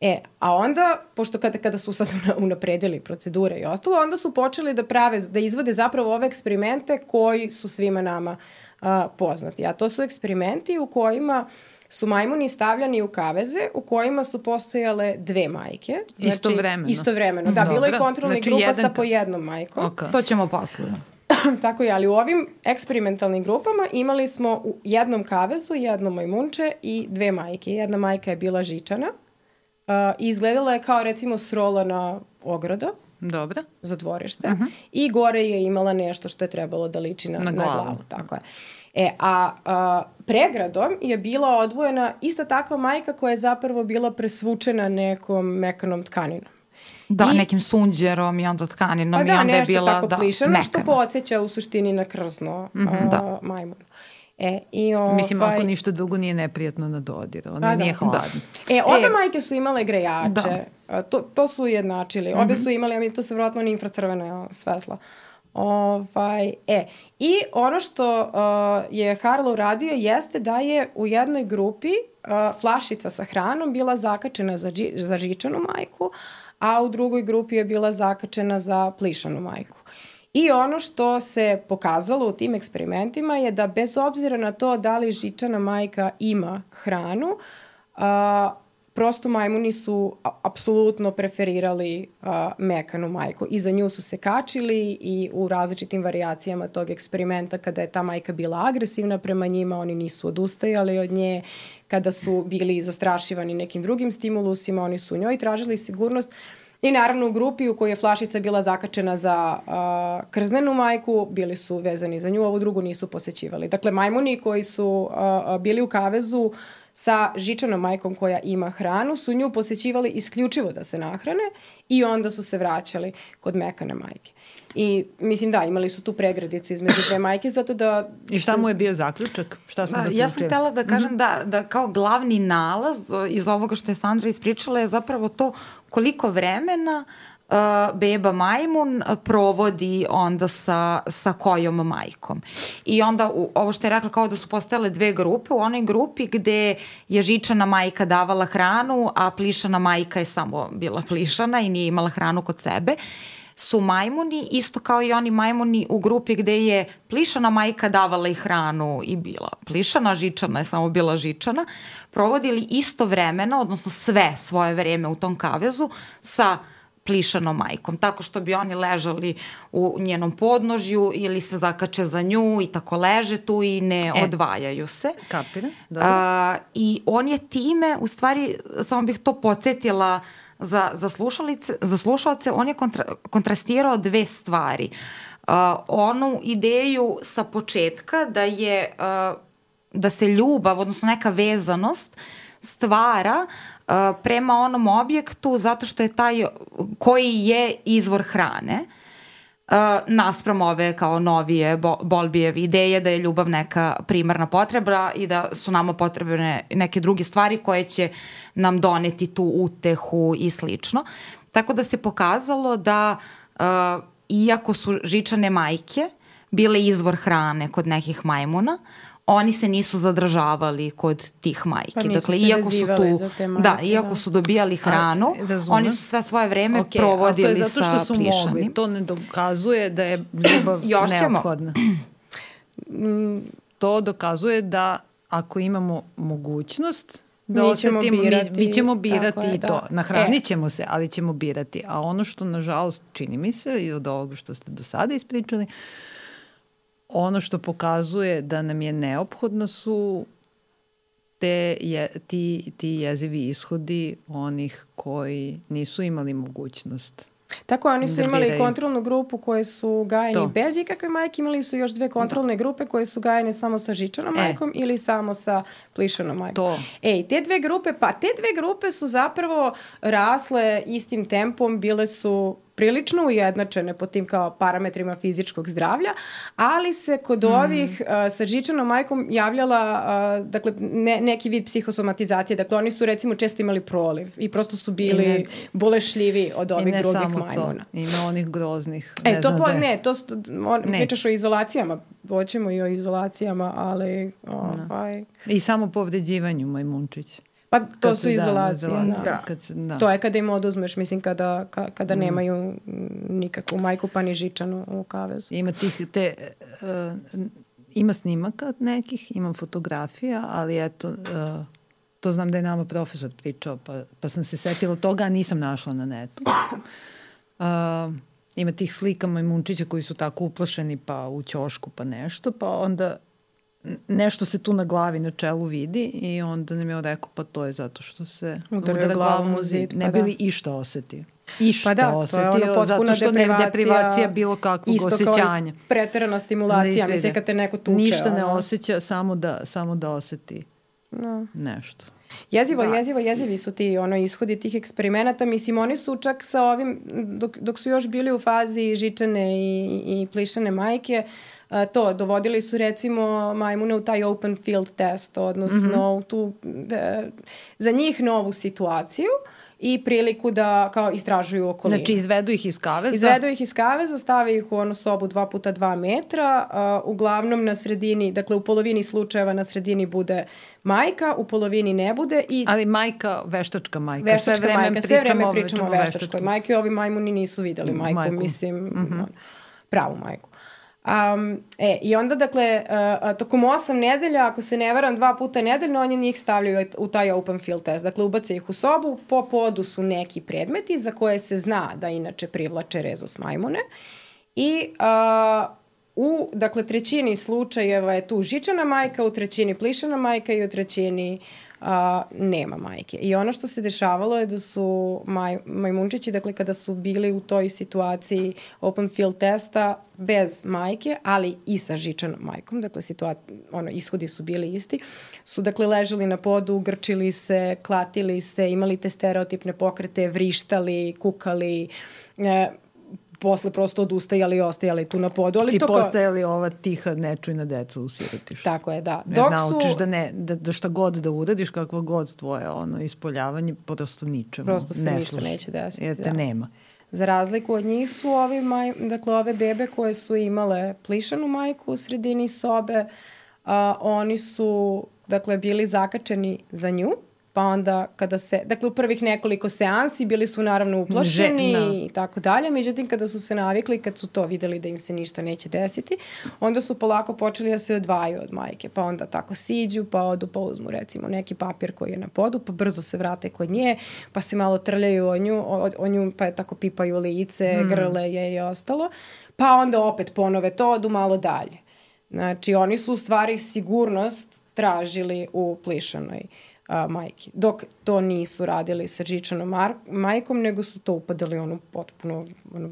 E, a onda, pošto kada, kada su sad unapredili procedure i ostalo, onda su počeli da prave, da izvode zapravo ove eksperimente koji su svima nama a, poznati. A to su eksperimenti u kojima su majmuni stavljani u kaveze u kojima su postojale dve majke. Znači, istovremeno. Istovremeno, da. Dobro. Bilo je kontrolni znači, grupa jedan... sa po jednom majkom. Okay. To ćemo posle. Tako je, ali u ovim eksperimentalnim grupama imali smo u jednom kavezu jedno majmunče i dve majke. Jedna majka je bila žičana. Uh, i izgledala je kao recimo srolana ograda. Dobro. Za dvorište. Uh-huh. I gore je imala nešto što je trebalo da liči na, na, glavu. na glavu. Tako je. E, a, a pregradom je bila odvojena ista takva majka koja je zapravo bila presvučena nekom mekanom tkaninom. Da, I, nekim sunđerom i onda tkaninom. Pa da, i onda nešto je bila, tako da, plišano mekana. Što podsjeća u suštini na krzno mm-hmm, uh, da. majmun. E, i ovaj... Mislim, ako ništa drugo nije neprijatno na dodir, ono da, nije da. hladno. Da. E, obe e, majke su imale grejače, da. to, to su ujednačili, obe mm-hmm. su imali, a mi to se vjerojatno ni infracrvena svetla. Ovaj, e, i ono što uh, je Harlow radio jeste da je u jednoj grupi uh, flašica sa hranom bila zakačena za, dži, za žičanu majku, a u drugoj grupi je bila zakačena za plišanu majku. I ono što se pokazalo u tim eksperimentima je da bez obzira na to da li žičana majka ima hranu, uh, prosto majmuni su apsolutno preferirali uh, mekanu majku i za nju su se kačili i u različitim varijacijama tog eksperimenta kada je ta majka bila agresivna prema njima, oni nisu odustajali od nje, kada su bili zastrašivani nekim drugim stimulusima, oni su u njoj tražili sigurnost. I naravno u grupi u kojoj je flašica bila zakačena za uh, krznenu majku, bili su vezani za nju, ovu drugu nisu posećivali. Dakle, majmuni koji su uh, bili u kavezu sa žičanom majkom koja ima hranu, su nju posećivali isključivo da se nahrane i onda su se vraćali kod mekane majke. I mislim da, imali su tu pregradicu između dve majke, zato da... I šta mu je bio zaključak? Šta smo zaključili? Ja sam htjela da kažem mm-hmm. da, da kao glavni nalaz iz ovoga što je Sandra ispričala je zapravo to koliko vremena uh, beba majmun provodi onda sa, sa kojom majkom. I onda u, ovo što je rekla kao da su postojale dve grupe, u onoj grupi gde je žičana majka davala hranu, a plišana majka je samo bila plišana i nije imala hranu kod sebe, su majmuni, isto kao i oni majmuni u grupi gde je plišana majka davala i hranu i bila plišana, žičana je samo bila žičana, provodili isto vremena, odnosno sve svoje vreme u tom kavezu sa plišanom majkom, tako što bi oni ležali u njenom podnožju ili se zakače za nju i tako leže tu i ne e, odvajaju se. Kapira, dobro. A, I on je time, u stvari, samo bih to podsjetila za, za, za slušalce, on je kontra, kontrastirao dve stvari. Uh, onu ideju sa početka da je uh, da se ljubav, odnosno neka vezanost stvara uh, prema onom objektu zato što je taj koji je izvor hrane. Uh, naspram ove kao novije Bowlbyjeve ideje da je ljubav neka primarna potreba i da su nama potrebne neke druge stvari koje će nam doneti tu utehu i slično. Tako da se pokazalo da uh, iako su žičane majke bile izvor hrane kod nekih majmuna, oni se nisu zadržavali kod tih majki. Pa nisu dakle, se iako su tu, za te majke. Da, iako da. su dobijali hranu, A, oni su sve svoje vreme okay, provodili sa plišanim. To je zato što su mogli. To ne dokazuje da je ljubav neophodna. To dokazuje da ako imamo mogućnost da mi osetimo, ćemo birati, mi, mi ćemo birati je, i to. Da. Nahranit ćemo e. se, ali ćemo birati. A ono što, nažalost, čini mi se i od ovoga što ste do sada ispričali, ono što pokazuje da nam je neophodno su te je, ti, ti jezivi ishodi onih koji nisu imali mogućnost. Tako, oni su imali biraju. kontrolnu grupu koje su gajeni to. bez ikakve majke, imali su još dve kontrolne da. grupe koje su gajene samo sa žičanom e. majkom ili samo sa plišanom majkom. To. Ej, te dve grupe, pa te dve grupe su zapravo rasle istim tempom, bile su prilično ujednačene po tim kao parametrima fizičkog zdravlja, ali se kod mm. ovih uh, sa žičanom majkom javljala uh, dakle, ne, neki vid psihosomatizacije. Dakle, oni su recimo često imali proliv i prosto su bili ne, bolešljivi od ovih drugih majmuna. I ne samo to, ima onih groznih. E, ne to znam po, da ne, to on, ne. pričaš o izolacijama, hoćemo i o izolacijama, ali ovaj... I samo povređivanju majmunčić. Pa to kad su izolacije. Da, da. Da. Kad se, da. To je kada im oduzmeš, mislim, kada, ka, kada mm. nemaju nikakvu majku pa ni žičanu u kavezu. Ima tih, te, uh, ima snimaka nekih, imam fotografija, ali eto, uh, to znam da je nama profesor pričao, pa, pa sam se setila toga, a nisam našla na netu. Uh, ima tih slika majmunčića koji su tako uplašeni, pa u ćošku, pa nešto, pa onda nešto se tu na glavi, na čelu vidi i onda nam je rekao pa to je zato što se udara glavom u zid. Ne pa bi li da. išta osetio. Išta pa da, osetio, to je ono zato što ne deprivacija bilo kakvog isto osjećanja. Isto kao preterana stimulacija, da mislim kad te neko tuče. Ništa ono. ne osjeća, samo da, samo da oseti no. nešto. Jezivo, da. jezivo, jezivi su ti ono, ishodi tih eksperimenata. Mislim, oni su čak sa ovim, dok, dok su još bili u fazi žičane i, i plišane majke, a, to, dovodili su recimo majmune u taj open field test, odnosno mm-hmm. u tu, da, za njih novu situaciju i priliku da kao istražuju okolinu. Znači izvedu ih iz kaveza? Izvedu ih iz kaveza, stave ih u onu sobu dva puta dva metra, uh, uglavnom na sredini, dakle u polovini slučajeva na sredini bude majka, u polovini ne bude. I ali majka, veštačka majka. Veštačka sve vreme majka, sve vreme pričamo o veštačkoj majki. Ovi majmuni nisu videli majku, majku. mislim, mm-hmm. pravu majku. Um, e, I onda, dakle, uh, tokom osam nedelja, ako se ne varam, dva puta nedeljno, oni njih stavljaju u taj open field test. Dakle, ubace ih u sobu, po podu su neki predmeti za koje se zna da inače privlače rezus majmune. I uh, u, dakle, trećini slučajeva je tu žičana majka, u trećini plišana majka i u trećini a, nema majke. I ono što se dešavalo je da su maj, majmunčići, dakle kada su bili u toj situaciji open field testa bez majke, ali i sa žičanom majkom, dakle situacija, ono, ishodi su bili isti, su dakle ležali na podu, grčili se, klatili se, imali te stereotipne pokrete, vrištali, kukali, e, posle prosto odustajali i ostajali tu na podu. Ali i to postajali kao... ova tiha nečujna deca u sirotišu. Tako je, da. Dok naučiš su... da, ne, da, da šta god da uradiš, kakva god tvoje ono, ispoljavanje, prosto ničemu prosto se ne ništa služi, neće desiti. Jer te da. nema. Za razliku od njih su ovi maj, dakle, ove bebe koje su imale plišanu majku u sredini sobe, a, oni su dakle, bili zakačeni za nju, pa onda kada se, dakle u prvih nekoliko seansi bili su naravno uplašeni i tako dalje, međutim kada su se navikli, kad su to videli da im se ništa neće desiti, onda su polako počeli da se odvajaju od majke, pa onda tako siđu, pa odu, pa uzmu recimo neki papir koji je na podu, pa brzo se vrate kod nje, pa se malo trljaju o nju, o, o nju pa je tako pipaju lice, hmm. grle je i ostalo, pa onda opet ponove to, odu malo dalje. Znači oni su u stvari sigurnost tražili u plišanoj A, majke. Dok to nisu radili sa žičanom majkom, nego su to upadali onu potpuno ono,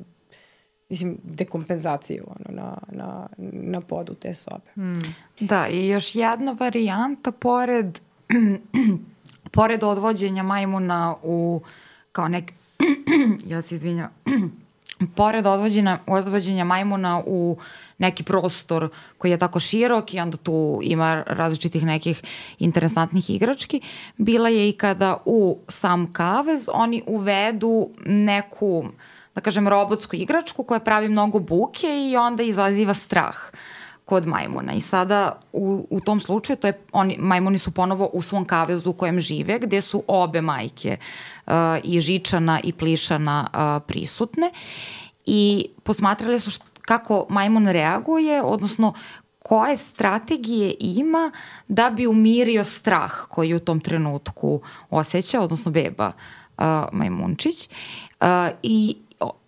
mislim, dekompenzaciju ono, na, na, na podu te sobe. Hmm. Da, i još jedna varijanta pored pored odvođenja majmuna u kao nek ja se izvinjam pored odvođenja, odvođenja majmuna u neki prostor koji je tako širok i onda tu ima različitih nekih interesantnih igrački, bila je i kada u sam kavez oni uvedu neku, da kažem, robotsku igračku koja pravi mnogo buke i onda izaziva strah kod majmuna. I sada u, u tom slučaju to je, oni, majmuni su ponovo u svom kavezu u kojem žive, gde su obe majke uh, i žičana i plišana uh, prisutne i posmatrali su št, kako majmun reaguje, odnosno koje strategije ima da bi umirio strah koji u tom trenutku osjeća, odnosno beba uh, majmunčić. Uh, i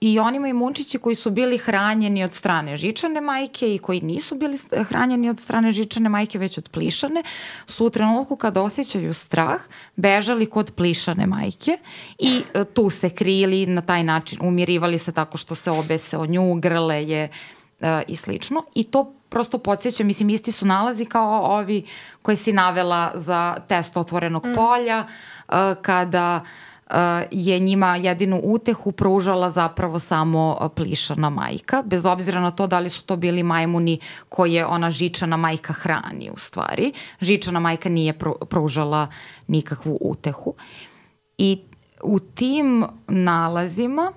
I oni majmunčići koji su bili hranjeni od strane žičane majke i koji nisu bili hranjeni od strane žičane majke, već od plišane, su u trenutku kada osjećaju strah bežali kod plišane majke i tu se krili, na taj način umirivali se tako što se obese o nju, grle je e, i slično. I to prosto podsjeća, mislim, isti su nalazi kao ovi koje si navela za test otvorenog mm. polja, e, kada Uh, je njima jedinu utehu pružala zapravo samo plišana majka, bez obzira na to da li su to bili majmuni koje ona žičana majka hrani u stvari. Žičana majka nije pružala nikakvu utehu. I u tim nalazima,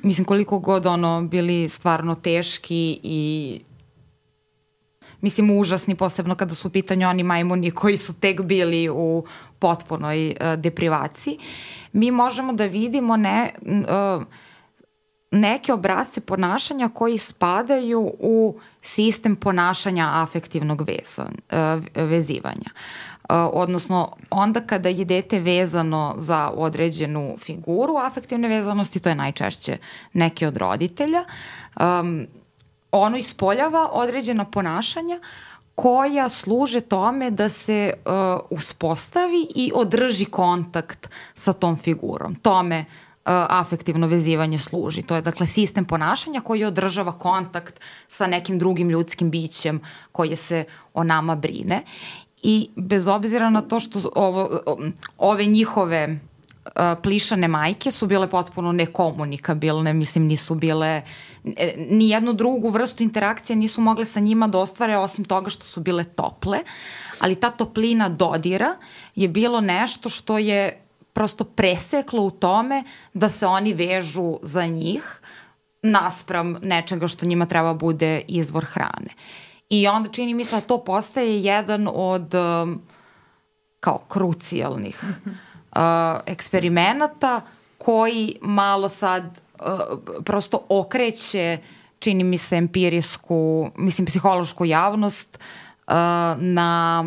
mislim koliko god ono bili stvarno teški i mislim užasni, posebno kada su u pitanju oni majmuni koji su tek bili u potpunoj uh, deprivaciji, mi možemo da vidimo ne, uh, neke obrasce ponašanja koji spadaju u sistem ponašanja afektivnog veza, uh, vezivanja. Uh, odnosno, onda kada je dete vezano za određenu figuru afektivne vezanosti, to je najčešće neki od roditelja, um, ono ispoljava određena ponašanja koja služe tome da se uh, uspostavi i održi kontakt sa tom figurom. Tome uh, afektivno vezivanje služi. To je dakle sistem ponašanja koji održava kontakt sa nekim drugim ljudskim bićem koje se o nama brine. i bez obzira na to što ovo, ove njihove uh, plišane majke su bile potpuno nekomunikabilne, mislim nisu bile, ni jednu drugu vrstu interakcije nisu mogle sa njima da ostvare osim toga što su bile tople, ali ta toplina dodira je bilo nešto što je prosto preseklo u tome da se oni vežu za njih naspram nečega što njima treba bude izvor hrane. I onda čini mi se da to postaje jedan od um, kao krucijalnih uh, eksperimenata koji malo sad uh, prosto okreće, čini mi se, empirijsku, mislim, psihološku javnost uh, na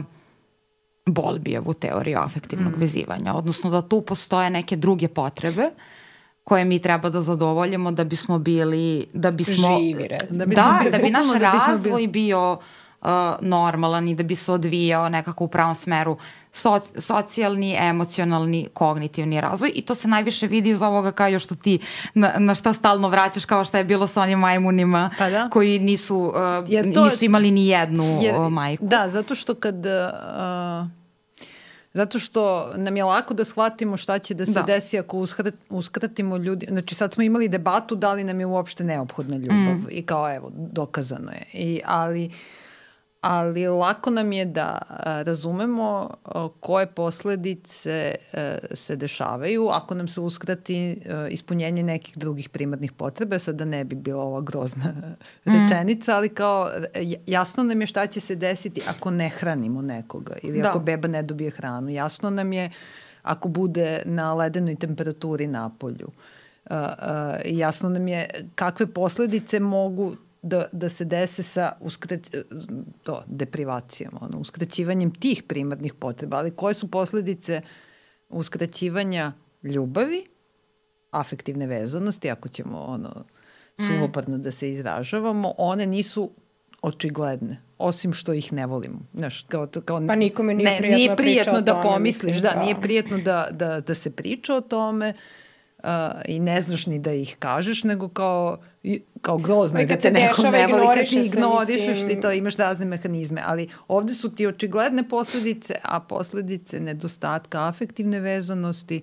Bowlbijevu teoriju afektivnog mm. vezivanja. Odnosno da tu postoje neke druge potrebe koje mi treba da zadovoljimo da bismo bili, da bismo... Živi, recimo. Da, da, bili, da bi naš da razvoj bili... bio uh, normalan i da bi se odvijao nekako u pravom smeru soci, socijalni, emocionalni, kognitivni razvoj i to se najviše vidi iz ovoga kao još što ti na, na šta stalno vraćaš kao šta je bilo sa onim majmunima pa da. koji nisu, uh, to, nisu imali ni jednu jer, majku. Da, zato što kad... Uh, Zato što nam je lako da shvatimo šta će da se da. desi ako uskrat, uskratimo ljudi. Znači sad smo imali debatu da li nam je uopšte neophodna ljubav mm. i kao evo, dokazano je. I, ali, ali lako nam je da a, razumemo a, koje posledice a, se dešavaju ako nam se uskrati a, ispunjenje nekih drugih primarnih potreba. Sad da ne bi bila ova grozna mm. rečenica, ali kao jasno nam je šta će se desiti ako ne hranimo nekoga ili da. ako beba ne dobije hranu. Jasno nam je ako bude na ledenoj temperaturi na polju. Uh, uh, jasno nam je kakve posledice mogu da, da se dese sa uskrać, to, deprivacijom, ono, uskraćivanjem tih primarnih potreba, ali koje su posledice uskraćivanja ljubavi, afektivne vezanosti, ako ćemo ono, suvoparno da se izražavamo, one nisu očigledne, osim što ih ne volimo. Znaš, kao, kao, pa nikome nije ne, prijetno, nije prijetno da tome, pomisliš, mislim, da, da, nije prijetno da, da, da se priča o tome uh, i ne znaš ni da ih kažeš, nego kao, kao grozno je da te nekom ne voli, kad ti ignorišeš, ti to imaš razne mehanizme, ali ovde su ti očigledne posledice, a posledice nedostatka afektivne vezanosti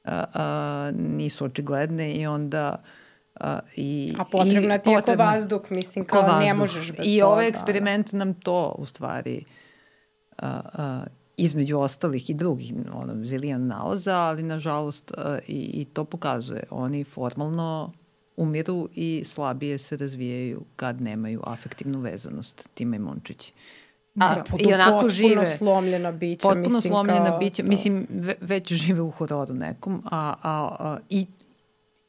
uh, uh, nisu očigledne i onda Uh, i, a potrebna ti je ko vazduh, mislim, kao vazduh. Ne možeš bez I toga. ovaj eksperiment nam to, u stvari, uh, uh, između ostalih i drugih, ono, zilijan nalaza, ali, nažalost, uh, i, i to pokazuje. Oni formalno umiru i slabije se razvijaju kad nemaju afektivnu vezanost, ti majmunčići. A, da, i onako potpuno žive, slomljena bića. Potpuno mislim, slomljena kao bića. To. Mislim, ve, već žive u hororu nekom, a, a, a i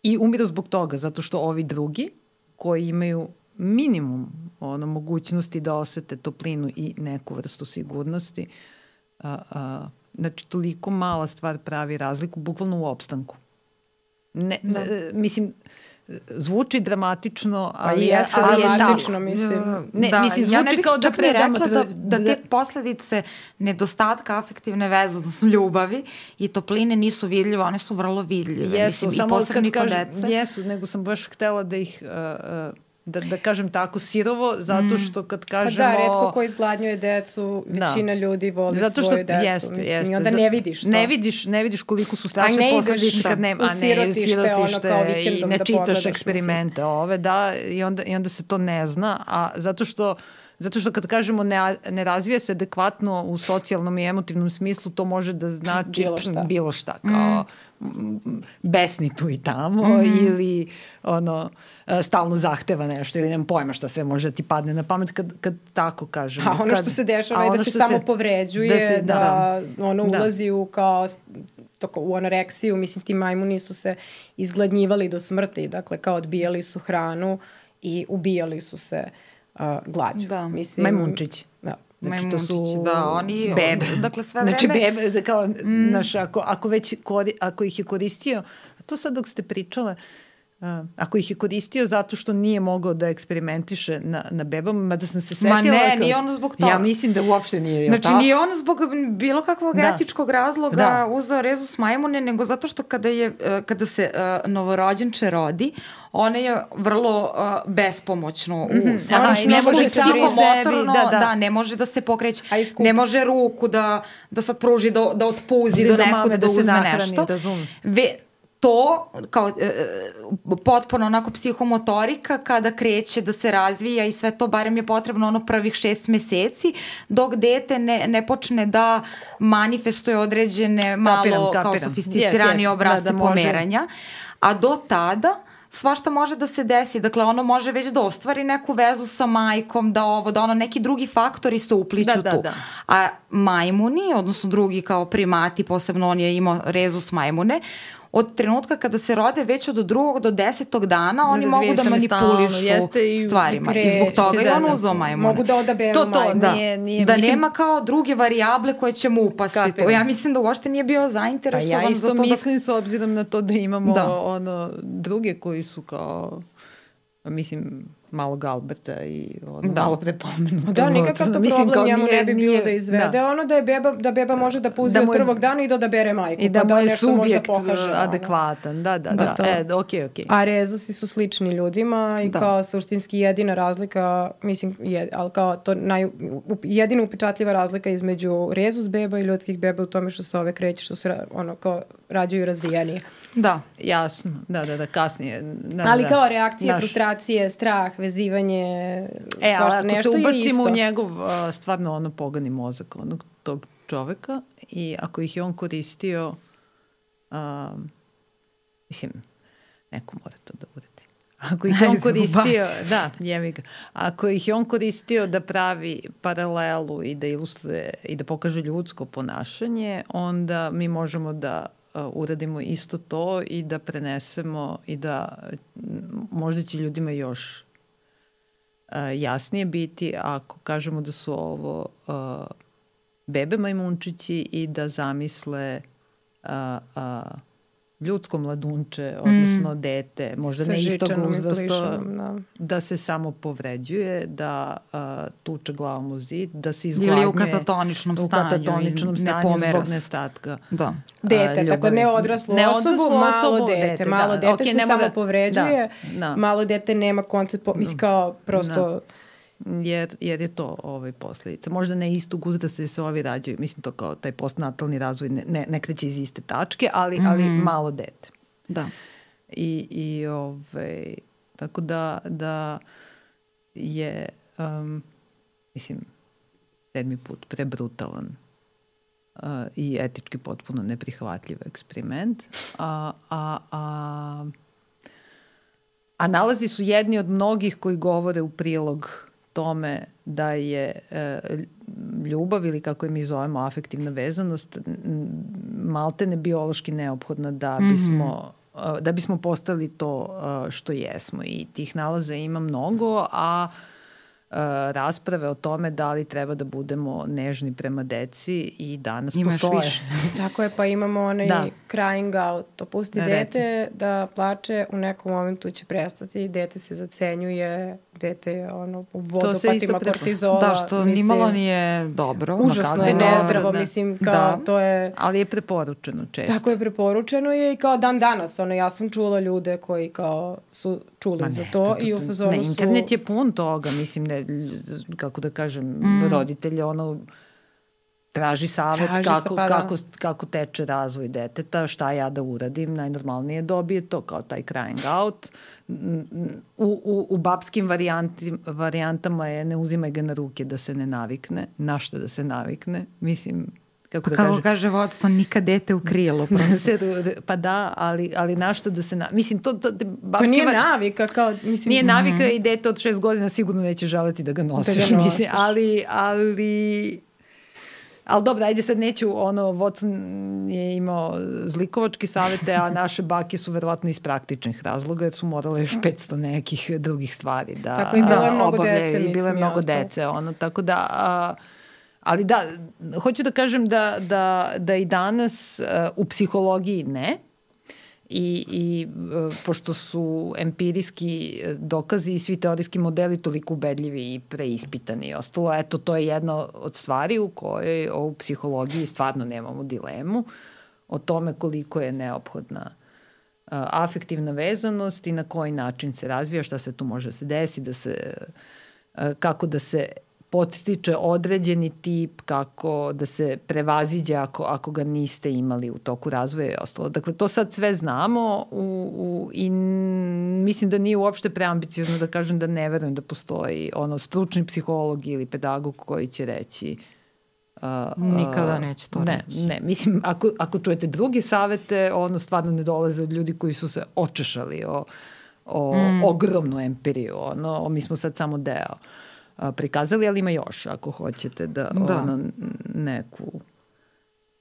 I umiru zbog toga, zato što ovi drugi koji imaju minimum ono, mogućnosti da osete toplinu i neku vrstu sigurnosti, a, a, znači toliko mala stvar pravi razliku, bukvalno u opstanku. Ne, da. ne, mislim, zvuči dramatično, ali, je, jeste ali je dramatično, mislim. Ne, da, mislim, zvuči ja kao da predamo... Da, da te posledice nedostatka afektivne veze, odnosno ljubavi i topline nisu vidljive, one su vrlo vidljive. Jesu, mislim, samo i posebno kad kažem, dece. Jesu, nego sam baš htela da ih... Uh, uh, Da, da kažem tako sirovo, zato što kad kažemo... Pa da, retko ko izgladnjuje decu, većina da. ljudi voli zato što, svoju decu. Jeste, mislim, jeste. I onda ne vidiš to. Ne vidiš, ne vidiš koliko su strašne posledice kad nema... U sirotište, ono kao i ne čitaš eksperimente mislim. ove, da, i onda, i onda se to ne zna, a zato što Zato što kad kažemo ne, ne razvija se adekvatno u socijalnom i emotivnom smislu, to može da znači bilo šta, bilo šta kao mm. besni tu i tamo mm. ili ono, stalno zahteva nešto ili nemam pojma šta sve može da ti padne na pamet kad, kad tako kažemo. A ono kad, što se dešava je da se samo se, povređuje, da, se, da, da ono ulazi da. u kao toko, u anoreksiju, mislim ti majmuni su se izgladnjivali do smrti, dakle kao odbijali su hranu i ubijali su se Uh, glađu. Da. Mislim, majmunčići. Da. Znači, majmunčići, to su da, oni... Bebe. Dakle, sve vreme... Znači, bebe, kao, mm. naš, ako, ako, već kori, ako ih je koristio, to sad dok ste pričale, A, ako ih je koristio zato što nije mogao da eksperimentiše na, na bebama, mada sam se setila... Ma ne, kao, nije ono zbog toga. Ja mislim da uopšte nije. Znači tako? nije ono zbog bilo kakvog da. etičkog razloga da. uzeo rezus majmune, nego zato što kada, je, kada se uh, novorođenče rodi, ona je vrlo uh, bespomoćno u mm-hmm. stvarno ne može psihomotorno, da, da. da, ne može da se pokreće, ne može ruku da, da sad pruži, da, da otpuzi do, do nekud, da, da uzme nahrani, nešto. Ve, to kao e, potpuno onako psihomotorika kada kreće da se razvija i sve to, barem je potrebno ono prvih šest meseci, dok dete ne, ne počne da manifestuje određene malo kapiram, kapiram. kao sofisticirani yes, yes. obrazce da, da pomeranja, a do tada svašta može da se desi, dakle ono može već da ostvari neku vezu sa majkom, da ovo, da ono neki drugi faktori se upliću da, tu. Da, da. A majmuni, odnosno drugi kao primati, posebno on je imao rezus majmune, od trenutka kada se rode već od drugog do desetog dana oni mogu da manipulišu i stvarima. I, I zbog toga je on uzao majmune. Mogu da odaberu to, to, majmune. Da, nije, nije, da mislim, nema kao druge varijable koje će mu upasti. To. Ja mislim da uopšte nije bio zainteresovan pa ja za to. Ja isto mislim da... s obzirom na to da imamo da. ono druge koji su kao, mislim, malog Alberta i ono, da. malo prepomenuto. Da, nikakav to mislim, problem njemu nije, ne bi bilo nije, da izvede. Da. Ono da, je beba, da beba može da puzi da od prvog dana i da odabere majku. I da, pa mu je da subjekt pokaže, adekvatan. Da, da, da. da. E, okej, okej. A rezusi su slični ljudima i da. kao suštinski jedina razlika, mislim, je, ali kao to naj, jedina upečatljiva razlika između rezus beba i ljudskih beba u tome što se ove kreće, što se ono kao rađaju razvijenije. Da. Jasno, da, da, da, kasnije. Da, ali da. kao reakcije, Naš. frustracije, strah, vezivanje, e, svašta nešto je isto. E, ako se ubacimo u njegov uh, stvarno ono pogani mozak onog tog čoveka i ako ih je on koristio, um, mislim, neko mora to da bude. Ako ih je on koristio, da, jevi ga. Ako ih je on koristio da pravi paralelu i da ilustruje i da pokaže ljudsko ponašanje, onda mi možemo da uradimo isto to i da prenesemo i da možda će ljudima još uh, jasnije biti ako kažemo da su ovo uh, bebe majmunčići i da zamisle uh, uh, ljudsko mladunče, odnosno mm. dete, možda sa ne istog uzrasta, da. da se samo povređuje, da uh, tuče glavom u zid, da se izgladnje. Ili u katatoničnom stanju. U katatoničnom stanju ne zbog nestatka. Da. Dete, uh, tako ne odraslu ne osobu, odraslu malo osobu, dete. dete. Malo da. dete okay, se samo da, povređuje, da, da. malo dete nema koncept, po, mislim kao prosto... Da. Jer, jer je to ovaj, posledica. Možda ne istog uzrasta da se ovi rađaju. Mislim to kao taj postnatalni razvoj ne, ne, ne kreće iz iste tačke, ali, mm-hmm. ali malo dete. Da. I, i ovaj, tako da, da je um, mislim sedmi put prebrutalan uh, i etički potpuno neprihvatljiv eksperiment. A, a, a, a nalazi su jedni od mnogih koji govore u prilog tome da je e, ljubav ili kako je mi zovemo afektivna vezanost maltene biološki neophodna da bismo, mm-hmm. da bismo postali to što jesmo i tih nalaza ima mnogo, a rasprave o tome da li treba da budemo nežni prema deci i danas Imaš postoje. Više. Tako je, pa imamo onaj da. crying out, to pusti Reci. dete da plače, u nekom momentu će prestati, dete se zacenjuje, dete je ono u vodopatima kortizola. Da, što mislim, nimalo nije dobro. Užasno je nezdravo, da. mislim, kao da. to je... Ali je preporučeno često. Tako je, preporučeno je i kao dan danas, ono, ja sam čula ljude koji kao su čuli ne, za to, to, to, to i u fazonu su... Ne, internet je pun toga, mislim, ne, kako da kažem, mm. roditelje, ono, traži savjet traži kako, pa, kako, kako teče razvoj deteta, šta ja da uradim, najnormalnije dobije to, kao taj crying out. U, u, u babskim varijanti, varijantama je ne uzimaj ga na ruke da se ne navikne, na šta da se navikne, mislim... Kako, da kako kaže, kaže vodstvo, nikad dete u krilo. Pa da, ali, ali našto da se... Na... Mislim, to... To, to nije var... navika. Kao, mislim, nije navika mm-hmm. i dete od šest godina sigurno neće želeti da ga nosiš. Da ga nosiš. Mislim, ali... ali... Ali dobro, ajde sad neću, ono, Watson je imao zlikovački savete, a naše bake su verovatno iz praktičnih razloga, jer su morale još petsto nekih drugih stvari da tako i bilo je mnogo dece, mislim. Bilo je mnogo dece, ono, tako da... A, ali da, hoću da kažem da, da, da i danas uh, u psihologiji ne, I, i pošto su empirijski dokazi i svi teorijski modeli toliko ubedljivi i preispitani i ostalo, eto, to je jedna od stvari u kojoj u psihologiji stvarno nemamo dilemu o tome koliko je neophodna uh, afektivna vezanost i na koji način se razvija, šta se tu može da se desi, da se, uh, kako da se podstiče određeni tip, kako da se prevaziđe ako, ako ga niste imali u toku razvoja i ostalo. Dakle, to sad sve znamo u, u, i mislim da nije uopšte preambiciozno da kažem da ne verujem da postoji ono stručni psiholog ili pedagog koji će reći Uh, nikada neće to ne, reći. Ne, mislim, ako, ako čujete drugi savete, ono stvarno ne dolaze od ljudi koji su se očešali o, o mm. ogromnu empiriju. Ono, mi smo sad samo deo uh, prikazali, ali ima još ako hoćete da, da. Ono, neku...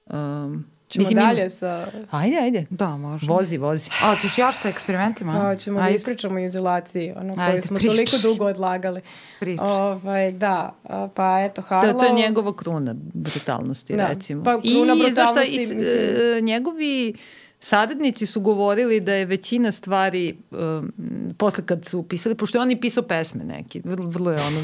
Um, Ćemo mislim, dalje sa... Ajde, ajde. Da, možda. Vozi, vozi. A, ćeš još sa eksperimentima? A, ćemo ajde. Da ispričamo o izolaciji, ono koju smo prič. toliko dugo odlagali. Prič. Ovaj, da, pa eto, Harlow... To, to je njegova kruna brutalnosti, da. recimo. Pa kruna I, brutalnosti, I, mislim... Uh, njegovi saradnici su govorili da je većina stvari, um, posle kad su pisali, pošto je on i pisao pesme neki, vrlo, vrlo je ono...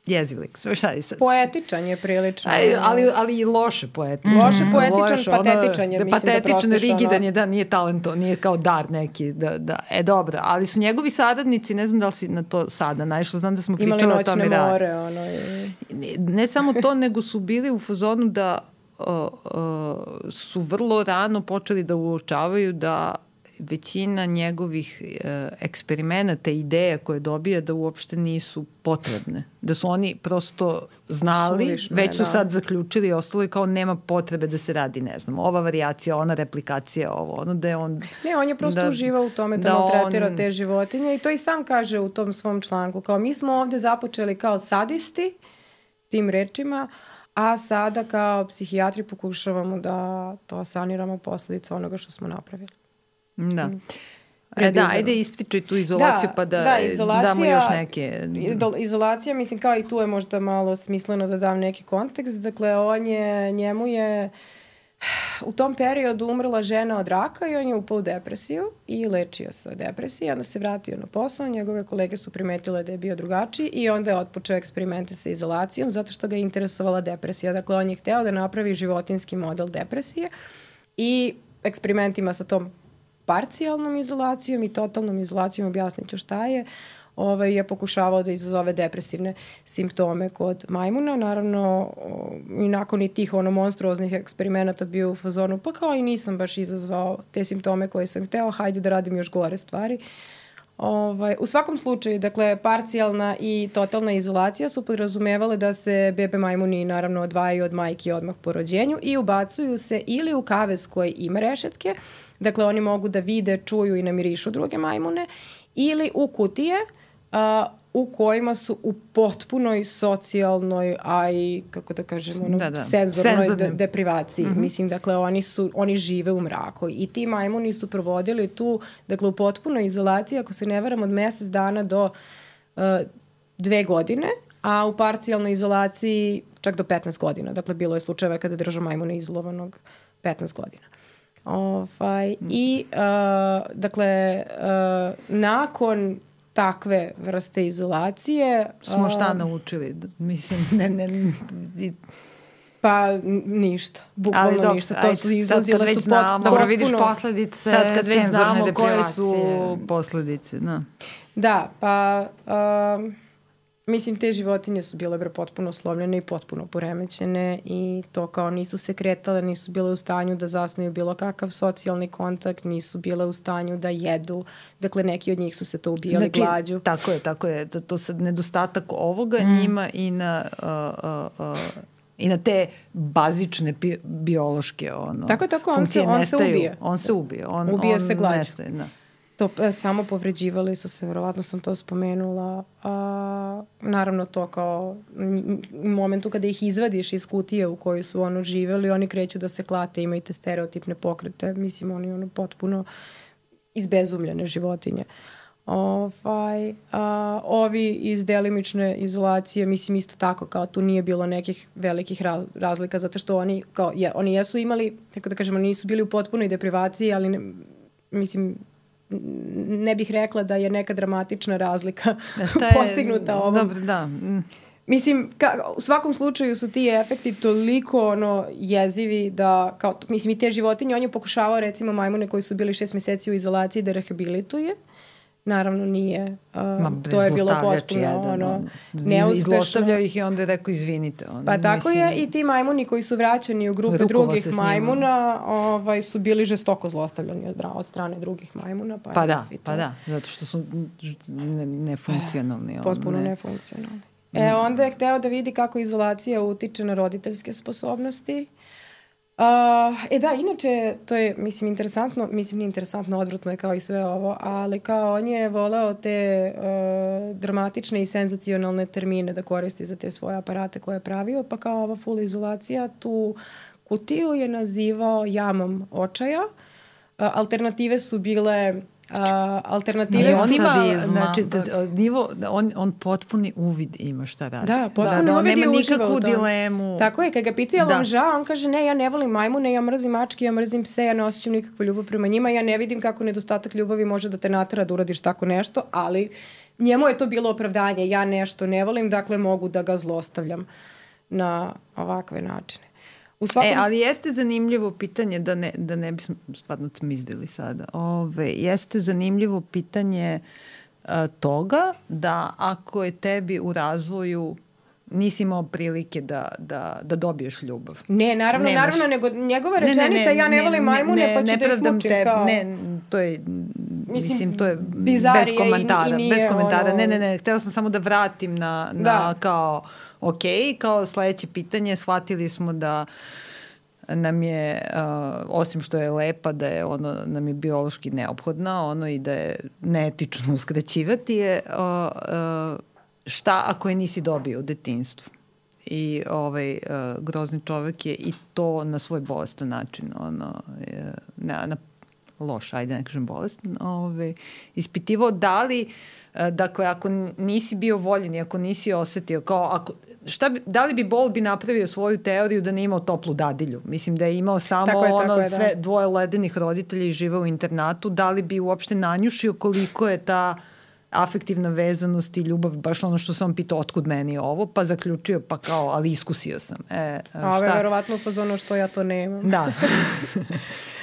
jeziv lik, šta je sad? Poetičan je prilično. Aj, ali, ali i loše poetičan. Loše poetičan, loše, patetičan je, ono, mislim da patetičan, prostiš. rigidan ono... je, da, nije talento, nije kao dar neki, da, da, e, dobro, ali su njegovi saradnici, ne znam da li si na to sada naišla, znam da smo pričali o tome. Imali noćne more, ono. I... Ne, ne samo to, nego su bili u fazonu da uh, uh, su vrlo rano počeli da uočavaju da većina njegovih e, eksperimenata i ideja koje dobija da uopšte nisu potrebne. Da su oni prosto znali, Sulišne, već su da. sad zaključili i ostalo i kao nema potrebe da se radi, ne znam, ova varijacija, ona replikacija, ovo, ono da je on... Ne, on je prosto da, uživao u tome da, da maltretira on... te životinje i to i sam kaže u tom svom članku, kao mi smo ovde započeli kao sadisti, tim rečima, a sada kao psihijatri pokušavamo da to saniramo posledica onoga što smo napravili. Da. E, da, ajde ispričaj tu izolaciju da, pa da, da damo još neke... Izolacija, mislim kao i tu je možda malo smisleno da dam neki kontekst. Dakle, on je, njemu je u tom periodu umrla žena od raka i on je upao u depresiju i lečio se od depresije. Onda se vratio na posao, njegove kolege su primetile da je bio drugačiji i onda je otpočeo eksperimente sa izolacijom zato što ga je interesovala depresija. Dakle, on je hteo da napravi životinski model depresije i eksperimentima sa tom parcijalnom izolacijom i totalnom izolacijom, objasnit ću šta je, ovaj, je pokušavao da izazove depresivne simptome kod majmuna. Naravno, i nakon i tih ono monstruoznih eksperimenata bio u fazonu, pa kao i nisam baš izazvao te simptome koje sam hteo, hajde da radim još gore stvari. Ovaj, u svakom slučaju, dakle, parcijalna i totalna izolacija su podrazumevale da se bebe majmuni naravno odvajaju od majke odmah po rođenju i ubacuju se ili u kavez koji ima rešetke, dakle oni mogu da vide, čuju i namirišu druge majmune, ili u kutije a, u kojima su u potpunoj socijalnoj, a i, kako da kažem, ono, da, da. senzornoj de, deprivaciji. Mm-hmm. Mislim, dakle, oni, su, oni žive u mraku. I ti majmuni su provodili tu, dakle, u potpunoj izolaciji, ako se ne varam, od mesec dana do uh, dve godine, a u parcijalnoj izolaciji čak do petnaest godina. Dakle, bilo je slučajeva kada drža majmuna izolovanog petnaest godina. Ovaj, mm. I, uh, dakle, uh, nakon takve vrste izolacije... Smo šta uh, naučili? Mislim, ne, ne... ne pa ništa, bukvalno dok, ništa. To su izlazile su pot, znamo, dobro, vidiš posledice sad kad već znamo koje su posledice. Da, da pa... Uh, mislim, te životinje su bile bre potpuno slomljene i potpuno poremećene i to kao nisu se kretale, nisu bile u stanju da zasnuju bilo kakav socijalni kontakt, nisu bile u stanju da jedu. Dakle, neki od njih su se to ubijali znači, glađu. Tako je, tako je. To, to sad nedostatak ovoga mm. njima i na... Uh, uh, uh, i na te bazične bi, biološke ono, tako, tako, on funkcije se, on nestaju. Se ubije. On se ubije. On, ubije on se glađu. Nestaje, da. To e, samo povređivali su se, verovatno sam to spomenula. A, naravno to kao u momentu kada ih izvadiš iz kutije u kojoj su ono živeli, oni kreću da se klate, imaju te stereotipne pokrete. Mislim, oni ono potpuno izbezumljene životinje. Ovaj, a, ovi iz delimične izolacije, mislim isto tako, kao tu nije bilo nekih velikih raz, razlika, zato što oni, kao, je, oni jesu imali, tako da kažemo, nisu bili u potpunoj deprivaciji, ali ne, mislim, ne bih rekla da je neka dramatična razlika da, šta je, postignuta ovom. Dobro, da. Mm. Mislim, ka, u svakom slučaju su ti efekti toliko ono, jezivi da, kao, mislim, i te životinje, on je pokušavao recimo majmune koji su bili šest meseci u izolaciji da rehabilituje. Naravno nije. Uh, Ma, to je bilo potpuno jedan, ono, on, neuspešno. Izlostavljao ih i onda je rekao izvinite. On, pa tako mislim, je i ti majmuni koji su vraćani u grupe drugih majmuna ovaj, su bili žestoko zlostavljani od, od strane drugih majmuna. Pa, pa da, pa da, zato što su nefunkcionalni. Ne potpuno ne. nefunkcionalni. E, onda je hteo da vidi kako izolacija utiče na roditeljske sposobnosti. Uh, e da, inače, to je, mislim, interesantno, mislim, nije interesantno, odvratno je kao i sve ovo, ali kao on je voleo te uh, dramatične i senzacionalne termine da koristi za te svoje aparate koje je pravio, pa kao ova full izolacija, tu kutiju je nazivao jamom očaja. Uh, alternative su bile Uh, alternative on ima, znači, da, nivo, on, on potpuni uvid ima šta radi. Da, potpuni da, uvid nema je nikakvu dilemu. Tako je, kad ga pitao, jel vam žao, on kaže, ne, ja ne volim majmune, ja mrzim mačke, ja mrzim pse, ja ne osjećam nikakvu ljubav prema njima, ja ne vidim kako nedostatak ljubavi može da te natera da uradiš tako nešto, ali njemu je to bilo opravdanje, ja nešto ne volim, dakle mogu da ga zlostavljam na ovakve načine. Svakom... E, ali jeste zanimljivo pitanje, da ne, da ne bismo stvarno cmizdili sada, Ove, jeste zanimljivo pitanje a, toga da ako je tebi u razvoju nisi imao prilike da, da, da dobiješ ljubav. Ne, naravno, Nemaš... naravno, nego njegova rečenica, ne, ne, ne, ja ne volim majmune, ne, pa ću ne da ih mučim te, kao... Ne, to je, mislim, mislim to je bez komentara, i, i bez komentara. Ono... Ne, ne, ne, htela sam samo da vratim na, na da. kao, ok, kao sledeće pitanje, shvatili smo da nam je, uh, osim što je lepa, da je ono, nam je biološki neophodna, ono i da je neetično uskraćivati je uh, uh, šta ako je nisi dobio u detinjstvu. I ovaj uh, grozni čovek je i to na svoj bolestan način, ono, je, na, na loš, ajde ne kažem bolestan, ovaj, ispitivao da li, uh, dakle, ako nisi bio voljen i ako nisi osetio, kao, ako, šta bi, da li bi Bol bi napravio svoju teoriju da nije imao toplu dadilju? Mislim da je imao samo je, ono, je, sve, dvoje ledenih roditelja i žive u internatu, da li bi uopšte nanjušio koliko je ta afektivna vezanost i ljubav, baš ono što sam pitao otkud meni ovo, pa zaključio, pa kao, ali iskusio sam. E, a ovo je verovatno upozono što ja to nemam. Da.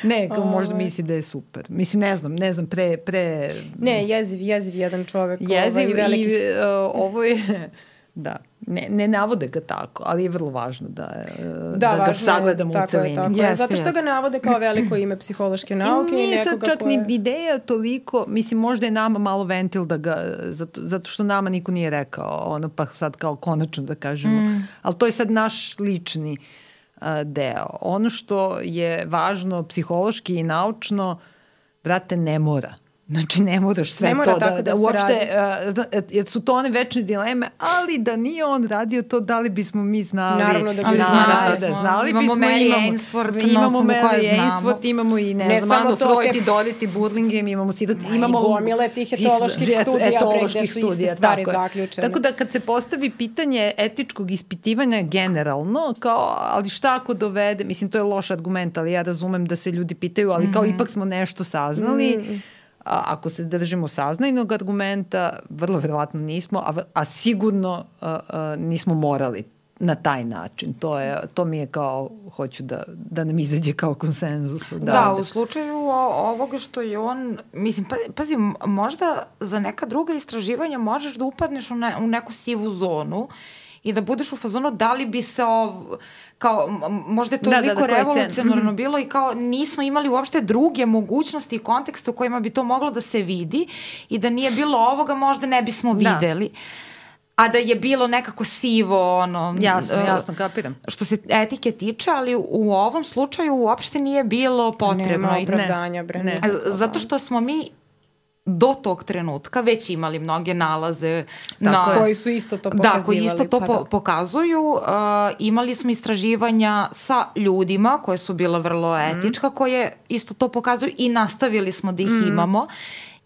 Ne, kao možda misli da je super. Mislim, ne znam, ne znam, pre... pre... Ne, jeziv, jeziv jedan čovek. Jeziv ovaj, veliki... i uh, ovo je... Da, ne, ne navode ga tako, ali je vrlo važno da, da, da ga sagledamo u celini. Tako je, zato što ga navode kao veliko ime psihološke nauke. I nije sad čak koje... ni ideja toliko, mislim možda je nama malo ventil da ga, zato, zato što nama niko nije rekao, ono pa sad kao konačno da kažemo, mm. ali to je sad naš lični uh, deo. Ono što je važno psihološki i naučno, brate, ne mora. Znači, ne moraš sve ne mora to da, da, da uopšte, uh, jer su to one večne dileme, ali da nije on radio to, da li bismo mi znali? Naravno da bi znali. Da, znali imamo bismo, Mary Ainsworth, imamo Mary Ainsworth, imamo i ne, ne znam, Anu Freud i Dorothy Burlingame, imamo Sidot, imamo gomile tih etoloških studija, etoloških gde su iste stvari zaključene. Tako da kad se postavi pitanje etičkog ispitivanja generalno, kao, ali šta ako dovede, mislim, to je loš argument, ali ja razumem da se ljudi pitaju, ali kao ipak smo nešto saznali, a, ako se držimo saznajnog argumenta, vrlo verovatno nismo, a, a sigurno a, a, nismo morali na taj način. To, je, to mi je kao, hoću da, da nam izađe kao konsenzus. Da, da, u slučaju ovoga što je on, mislim, pa, pazi, možda za neka druga istraživanja možeš da upadneš u, ne, u neku sivu zonu i da budeš u fazonu da li bi se ov, kao, možda je to toliko da, da, da, revolucionarno bilo i kao nismo imali uopšte druge mogućnosti i kontekste u kojima bi to moglo da se vidi i da nije bilo ovoga možda ne bismo videli. Da. A da je bilo nekako sivo, ono... Jasno, jasno, kapiram. Što se etike tiče, ali u ovom slučaju uopšte nije bilo potrebno. Nema opravdanja, bre. Ne. Zato što smo mi do tog trenutka već imali mnoge nalaze na, koji su isto to pokazivali. Da, koji isto to pa po, da. pokazuju. Uh, imali smo istraživanja sa ljudima koje su bila vrlo etička, mm. koje isto to pokazuju i nastavili smo da ih mm. imamo.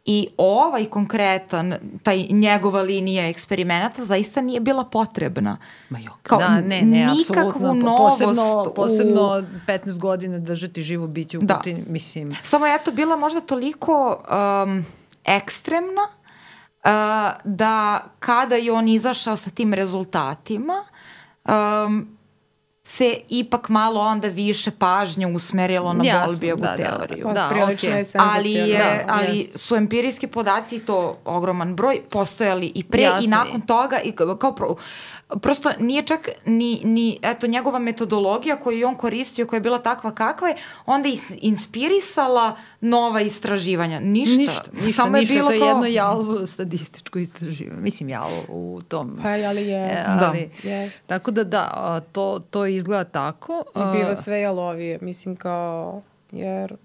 I ovaj konkretan, taj njegova linija eksperimenata zaista nije bila potrebna. Ma jok, kao, da, ne, ne, nikakvu apsolutno. Posebno, posebno u... petnaest godina držati živo biće u da. Kutini, mislim. Samo je to bila možda toliko um, ekstremna uh, da kada je on izašao sa tim rezultatima, um, se ipak malo onda više pažnje usmerilo na Bowlbyovu da, teoriju. Da, da, da, okay. ali, je, da, ali su empirijski podaci, to ogroman broj, postojali i pre jasno i nakon je. Toga i kao pro, prosto nije čak ni, ni eto, njegova metodologija koju je on koristio, koja je bila takva kakva je, onda is, inspirisala nova istraživanja. Ništa. Ništa, ništa, Samo ništa. Je bilo to je kao... jedno jalovo statističko istraživanje. Mislim, jalovo u tom. Pa, ali je. E, ali, da. Yes. Tako da da, to, to izgleda tako. I biva sve jalovije. Mislim kao, jer...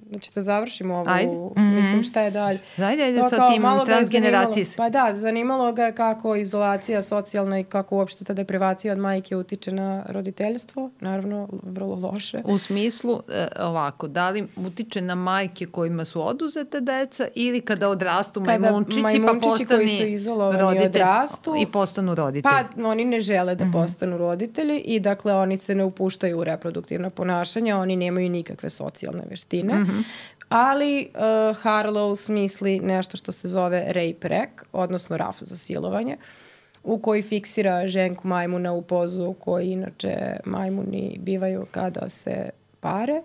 Znači da završimo ovu, ajde. Mislim šta je dalje. Ajde, ajde sa tim transgeneracijskim. Pa da, zanimalo ga kako izolacija socijalna i kako uopšte ta deprivacija od majke utiče na roditeljstvo. Naravno, vrlo loše. U smislu, ovako, da li utiče na majke kojima su oduzete deca ili kada odrastu majmunčići, majmunčići pa postanu koji su izolovani odrastu i postanu roditelji. Pa oni ne žele da postanu roditelji i dakle oni se ne upuštaju u reproduktivna ponašanja, oni nemaju nikakve socijalne veštine. Mm-hmm. Ali uh, Harlow smisli nešto što se zove rape rec, odnosno raf za silovanje, u koji fiksira ženku majmuna u pozu u kojoj inače majmuni bivaju kada se pare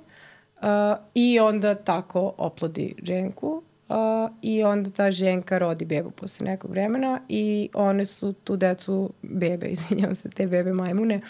uh, i onda tako oplodi ženku uh, i onda ta ženka rodi bebu posle nekog vremena i one su tu decu bebe, izvinjavam se, te bebe majmune,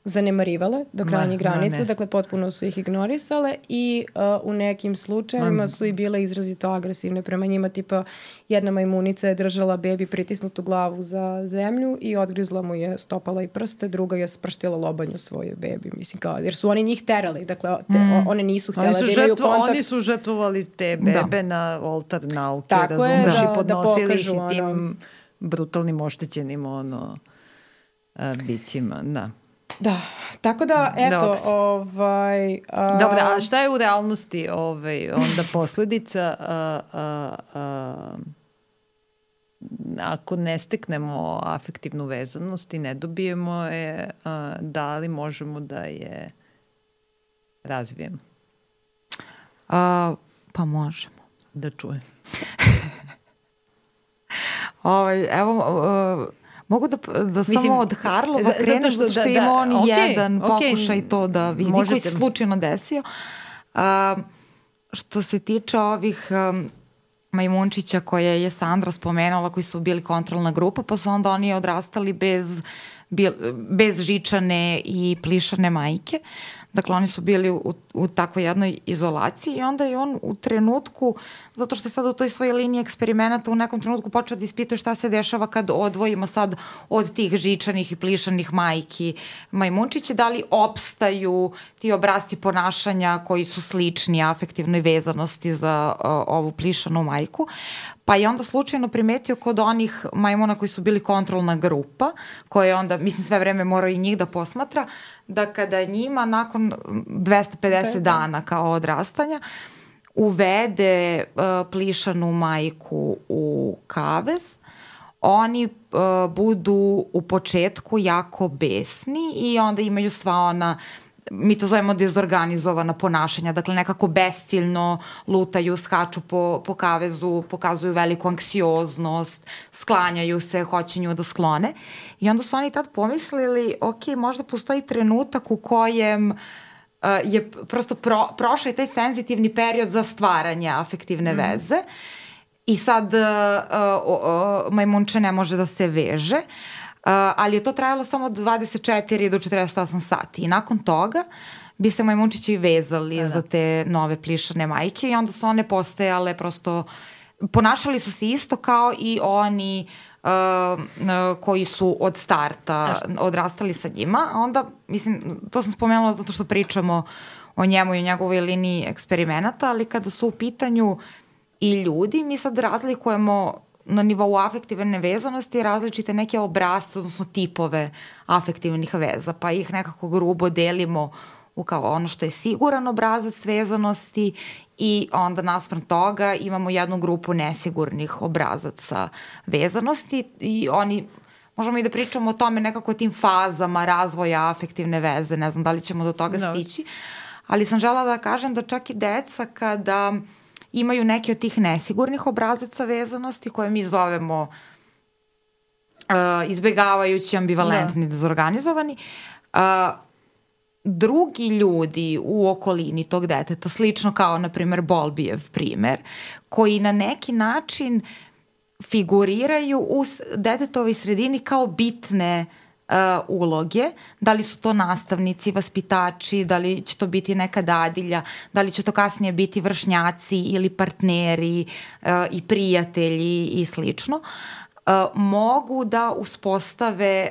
zanemarivale do krajnjih granica, dakle potpuno su ih ignorisale i uh, u nekim slučajevima su i bile izrazito agresivne prema njima, tipa jedna majmunica je držala bebi pritisnutu glavu za zemlju i odgrizla mu je stopala i prste, druga je sprštila lobanju svojoj bebi, mislim kao, jer su oni njih terali, dakle te, mm. one nisu htjela da imaju žetvo, kontakt. Oni su žrtvovali te bebe da. Na oltar nauke, razumiješ, da, i podnosili da ih i tim ono, brutalnim oštećenim ono, a, bićima, da. Da, tako da, eto, Dobre. ovaj... A... Dobro, a šta je u realnosti ovaj, onda posledica a, a, a, ako ne steknemo afektivnu vezanost i ne dobijemo je, a, da li možemo da je razvijemo? A, pa možemo. Da čujem. ovaj, evo... Uh, Mogu da, da Mislim, samo od Harlova krenem, zato što, što da, ima on okay, jedan okay, pokušaj to da vidi, možete. Koji se slučajno desio. Uh, što se tiče ovih um, majmunčića koje je Sandra spomenula, koji su bili kontrolna grupa, pa su onda oni odrastali bez, bez žičane i plišane majke. Dakle, oni su bili u, u takvoj jednoj izolaciji i onda je on u trenutku, zato što je sad u toj svojoj liniji eksperimenata u nekom trenutku počeo da ispituje šta se dešava kad odvojimo sad od tih žičanih i plišanih majki majmunčiće, da li opstaju ti obrasci ponašanja koji su slični afektivnoj vezanosti za uh, ovu plišanu majku. Pa je onda slučajno primetio kod onih majmuna koji su bili kontrolna grupa, koje onda, mislim, sve vreme morao i njih da posmatra, da kada njima nakon dvesta pedeset dana kao odrastanja uvede uh, plišanu majku u kavez, oni uh, budu u početku jako besni i onda imaju sva ona, mi to zovemo dezorganizovana ponašanja, dakle nekako besciljno lutaju, skaču po, po kavezu, pokazuju veliku anksioznost, sklanjaju se, hoće nju da sklone. I onda su oni tad pomislili, ok, možda postoji trenutak u kojem uh, je prosto pro, prošao je taj senzitivni period za stvaranje afektivne mm. veze i sad uh, uh, uh, majmunče ne može da se veže. Uh, ali je to trajalo samo od dvadeset četiri do četrdeset osam sati i nakon toga bi se majmunčići vezali da, da. za te nove plišane majke i onda su one postajale prosto, ponašali su se isto kao i oni uh, uh, koji su od starta odrastali sa njima. Onda, mislim, to sam spomenula zato što pričamo o njemu i o njegovoj liniji eksperimenata, ali kada su u pitanju i ljudi, mi sad razlikujemo na nivou afektivne vezanosti različite neke obrazce, odnosno tipove afektivnih veza, pa ih nekako grubo delimo u kao ono što je siguran obrazac vezanosti i onda naspram toga imamo jednu grupu nesigurnih obrazaca vezanosti i oni, možemo i da pričamo o tome nekako o tim fazama razvoja afektivne veze, ne znam da li ćemo do toga no. stići, ali sam želela da kažem da čak i deca kada imaju neki od tih nesigurnih obrazaca vezanosti koje mi zovemo uh, izbegavajući, ambivalentni, no. dezorganizovani, uh, drugi ljudi u okolini tog deteta, slično kao, na primer, Bowlbijev primer, koji na neki način figuriraju u detetovoj sredini kao bitne uh, uloge, da li su to nastavnici, vaspitači, da li će to biti neka dadilja, da li će to kasnije biti vršnjaci ili partneri uh, i prijatelji i slično, uh, mogu da uspostave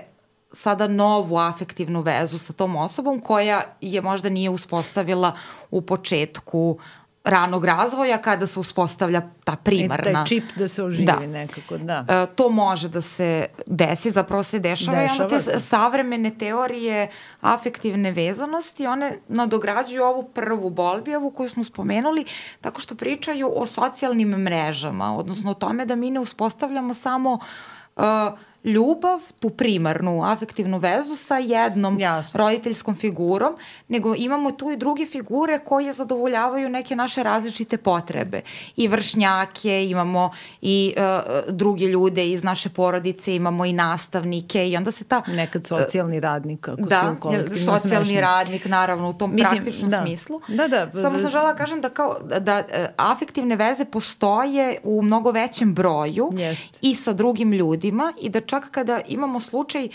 sada novu afektivnu vezu sa tom osobom koja je možda nije uspostavila u početku ranog razvoja kada se uspostavlja ta primarna. I taj čip da se oživi da. nekako, da. E, to može da se desi, zapravo se dešava, dešava i onda te se. savremene teorije afektivne vezanosti, one nadograđuju ovu prvu Bowlbijevu koju smo spomenuli, tako što pričaju o socijalnim mrežama, odnosno o tome da mi ne uspostavljamo samo uh, ljubav, tu primarnu afektivnu vezu sa jednom Jasno. roditeljskom figurom, nego imamo tu i druge figure koje zadovoljavaju neke naše različite potrebe. I vršnjake, imamo i uh, druge ljude iz naše porodice, imamo i nastavnike i onda se ta... Nekad socijalni radnik, ako da, su u kolektivnom socijalni smešni. radnik, naravno, u tom Mislim, praktičnom da. smislu. Da, da. Samo sam želela kažem da kao da, da afektivne veze postoje u mnogo većem broju Jest. i sa drugim ljudima i da čak kada imamo slučaj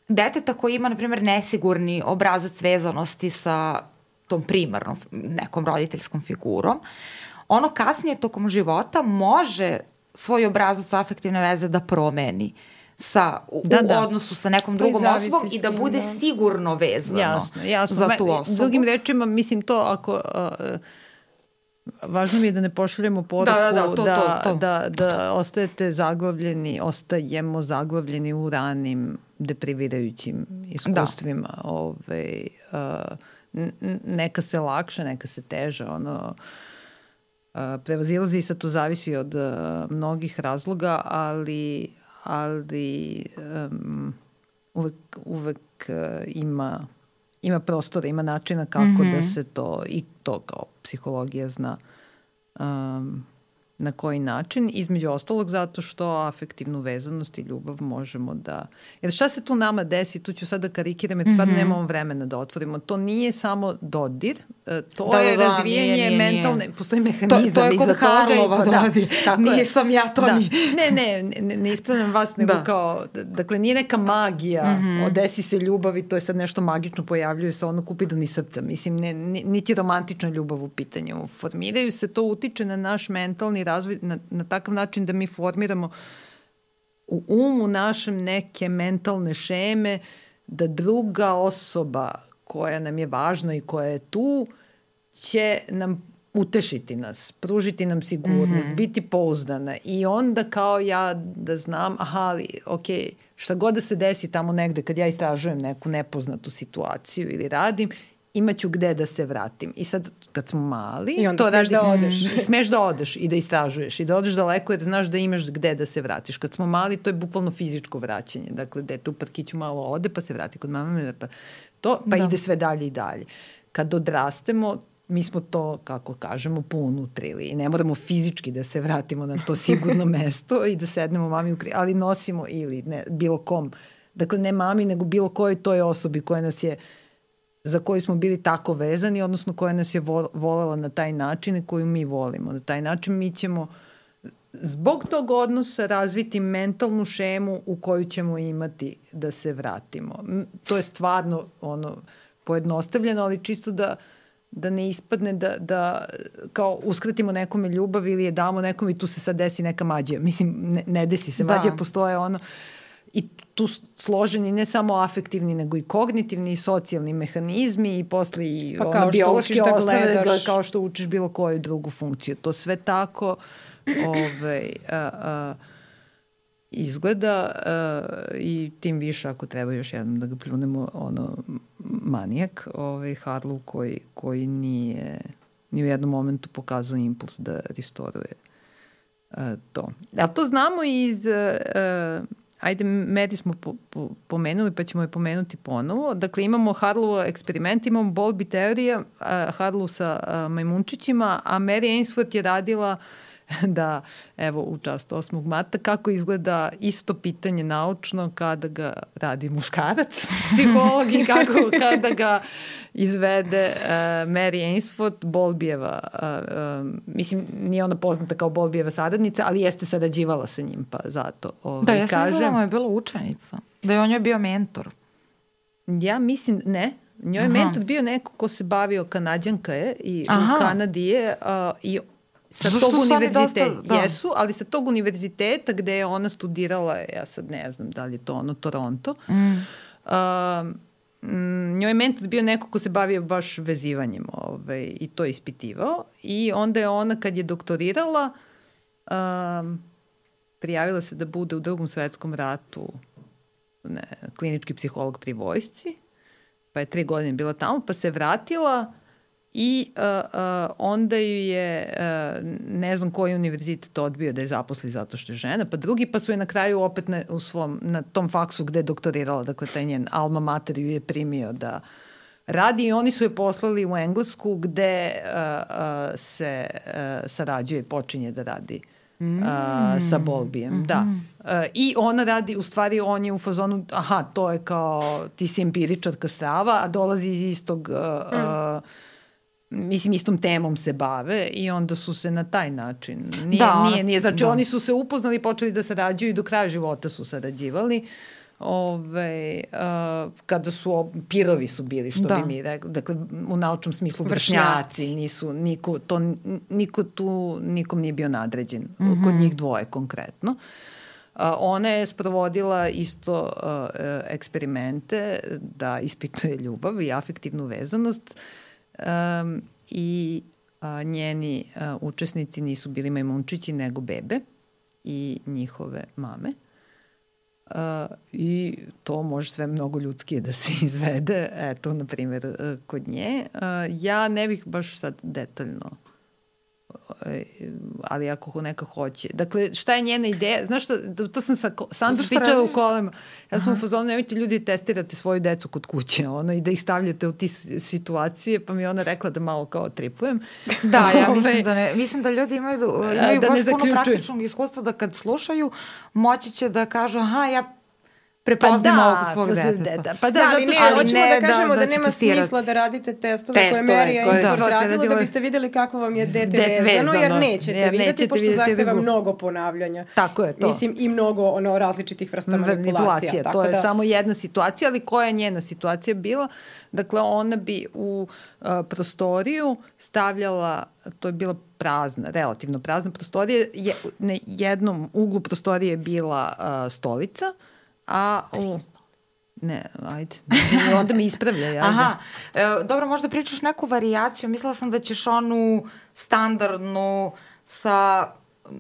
deteta koji ima, na primjer, nesigurni obrazac vezanosti sa tom primarnom nekom roditeljskom figurom, ono kasnije tokom života može svoj obrazac afektivne veze da promeni sa, u, da, da. u odnosu sa nekom drugom osobom i da bude sigurno vezano jasno, jasno. za tu osobu. Drugim rečima, mislim to ako... Uh, važno mi je da ne pošaljemo poruku da, da, da, to, da, to, to. da, da ostajete zaglavljeni, ostajemo zaglavljeni u ranim deprivirajućim iskustvima. Da. Ove, uh, neka se lakše, neka se teže. Ono, uh, prevazilazi i sad to zavisi od uh, mnogih razloga, ali, ali um, uvek, uvek uh, ima... ima prostora, ima načina kako mm-hmm. da se to, i to kao psihologija zna um, na koji način. Između ostalog zato što afektivnu vezanost i ljubav možemo da... Jer šta se tu nama desi, tu ću sad da karikiram, jer mm-hmm. stvarno nemamo vremena da otvorimo. To nije samo dodir, to da, je da, razvijanje nije, nije, mentalne... Nije. Postoji mehanizam iza toga. To, to je kod Harlova dodir. Da, nisam ja to da. ni... Ne, ne, ne, ne ispravljam vas, nego da. kao... Dakle, nije neka magija, mm-hmm. odesi se ljubav i to je sad nešto magično, pojavljuje se ono Kupidon i srca. Mislim, ne, niti romantična ljubav u pitanju. Formiraju se, to utiče na naš mentalni razvoj na, na takav način da mi formiramo u umu našem neke mentalne šeme da druga osoba koja nam je važna i koja je tu će nam utešiti nas, pružiti nam sigurnost, mm-hmm. biti pouzdana i onda kao ja da znam, aha, ali ok, šta god da se desi tamo negde kad ja istražujem neku nepoznatu situaciju ili radim, imaću gde da se vratim. I sad, kad smo mali... I onda to smeš radim, da odeš. I smeš da odeš i da istražuješ i da odeš daleko jer znaš da imaš gde da se vratiš. Kad smo mali, to je bukvalno fizičko vraćanje. Dakle, dete u parkiću malo ode pa se vrati kod mame, pa, to, pa da. ide sve dalje i dalje. Kad odrastemo, mi smo to, kako kažemo, pounutrili i ne moramo fizički da se vratimo na to sigurno mesto i da sednemo mami u kri, ali nosimo ili ne, bilo kom. Dakle, ne mami, nego bilo kojoj toj osobi koja nas je za koju smo bili tako vezani, odnosno koja nas je volela na taj način i koju mi volimo. Na taj način mi ćemo zbog tog odnosa razviti mentalnu šemu u koju ćemo imati da se vratimo. To je stvarno ono pojednostavljeno, ali čisto da, da ne ispadne da, da kao uskratimo nekome ljubav ili je damo nekom i tu se sad desi neka mađija. Mislim, ne, ne desi se. Da. Mađija postoje ono i tu složeni ne samo afektivni, nego i kognitivni i socijalni mehanizmi i posle i pa ono, biološke da osnove, gledaš. kao što učiš bilo koju drugu funkciju. To sve tako ovaj, a, a, izgleda a, i tim više ako treba još jednom da ga pljunemo, ono, manijak, ovaj, Harlow koji, koji nije ni u jednom momentu pokazao impuls da restoruje uh, to. A to znamo iz... Uh, ajde, Medi smo po, po, pomenuli, pa ćemo je pomenuti ponovo. Dakle, imamo Harlow eksperiment, imamo Bowlby teorija, uh, Harlow sa uh, majmunčićima, a Mary Ainsworth je radila da, evo, u čast osmog marta, kako izgleda isto pitanje naučno kada ga radi muškarac, psiholog, i kako kada ga izvede uh, Mary Ainsworth, Bowlbyjeva, uh, uh, mislim, nije ona poznata kao Bowlbyjeva saradnica, ali jeste sarađivala sa njim, pa zato ovaj, da, ja sam kažem. mislila da mu je bila učenica, da je on joj bio mentor. Ja mislim, ne. Njoj je Aha. mentor bio neko ko se bavio, Kanadjanka je, i Aha. u Kanadi je, uh, i sa Zašto tog su oni univerziteta, dosta- da. jesu, ali sa tog univerziteta gde je ona studirala, ja sad ne znam da li je to ono, Toronto, Mm. uh, Mm, njoj je mentor bio neko ko se bavio baš vezivanjem, ovaj, i to je ispitivao, i onda je ona kad je doktorirala um, prijavila se da bude u Drugom svetskom ratu ne, klinički psiholog pri vojsci, pa je tri godine bila tamo, pa se vratila i uh, uh, onda ju je uh, ne znam koji univerzitet odbio da je zaposli zato što je žena, pa drugi, pa su je na kraju opet na, u svom, na tom faksu gde je doktorirala, dakle taj njen alma mater ju je primio da radi, i oni su je poslali u Englesku gde uh, uh, se uh, sarađuje i počinje da radi mm. uh, sa Bowlbyjem. Mm-hmm. Da. Uh, I ona radi, u stvari on je u fazonu, aha, to je kao ti si empiričarka strava, a dolazi iz istog uh, mm. uh, mislim, istom temom se bave, i onda su se na taj način, nije, da, nije, nije, znači da. oni su se upoznali i počeli da sarađuju i do kraja života su sarađivali. Ove, uh, kada su, ob, pirovi su bili, što da. bi mi rekli, dakle, u naučnom smislu vršnjaci, vršnjaci nisu, niko, to, niko tu, nikom nije bio nadređen, mm-hmm. kod njih dvoje konkretno. Uh, ona je sprovodila isto uh, eksperimente da ispituje ljubav i afektivnu vezanost, um, i uh, njeni uh, učesnici nisu bili majmunčići nego bebe i njihove mame. Uh, i to može sve mnogo ljudskije da se izvede, eto, na primjer, uh, kod nje. Uh, ja ne bih baš sad detaljno, uh, ali ako neka hoće. Dakle, šta je njena ideja? Znaš šta, to sam sa Sandru pričala u kolima. Ja sam u fazonu, nemojte ljudi testirate svoju decu kod kuće, ono, i da ih stavljate u ti situacije, pa mi ona rekla da malo kao tripujem. Da, ja mislim da ne, mislim da ljudi imaju, imaju da baš puno praktičnog iskustva da kad slušaju, moći će da kažu, aha, ja prepoznam pa da, ovog svog deteta. Pa da, da, ali zato što, ali hoćemo ne, da kažemo da, da, da nema testirati. smisla da radite testove, testove koje Mary koje Ainsworth da, radila, da, da biste videli kako vam je dete Det vezano, vezano, jer nećete jer videti, nećete pošto videti zahteva drugo. mnogo ponavljanja. Tako je to. Mislim, i mnogo ono, različitih vrsta manipulacija. manipulacija. Tako to je da... samo jedna situacija, ali koja je njena situacija bila? Dakle, ona bi u uh, prostoriju stavljala, to je bila prazna, relativno prazna prostorija, je, na jednom uglu prostorije je bila uh, stolica, a u... Ne, ajde. Onda me ispravlja. Ajde. Aha, e, dobro, možda pričaš neku varijaciju. Mislila sam da ćeš onu standardnu sa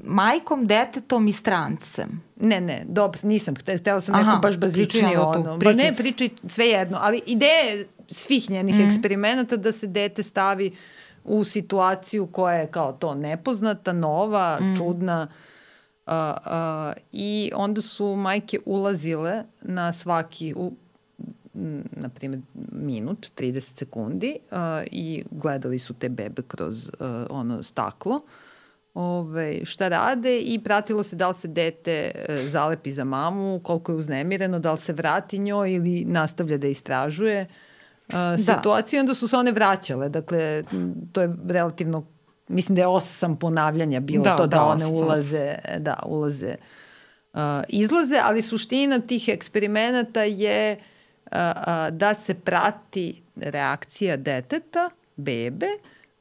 majkom, detetom i strancem. Ne, ne, dobro, nisam. Htela sam neko baš bazičnije ono. Ba ne, pričaj sve jedno. Ali ideje svih njenih mm. eksperimenata da se dete stavi u situaciju koja je kao to nepoznata, nova, mm. čudna. Uh, uh, i onda su majke ulazile na svaki u, na primjer minut, trideset sekundi uh, i gledali su te bebe kroz uh, ono staklo, Ove, šta rade, i pratilo se da li se dete uh, zalepi za mamu, koliko je uznemireno, da li se vrati njoj ili nastavlja da istražuje uh, situaciju. Da. Onda su se one vraćale, dakle to je relativno, mislim da je osam ponavljanja bilo da, to da, da one osam, ulaze, osam. da, ulaze, uh, izlaze, ali suština tih eksperimenata je uh, uh, da se prati reakcija deteta, bebe,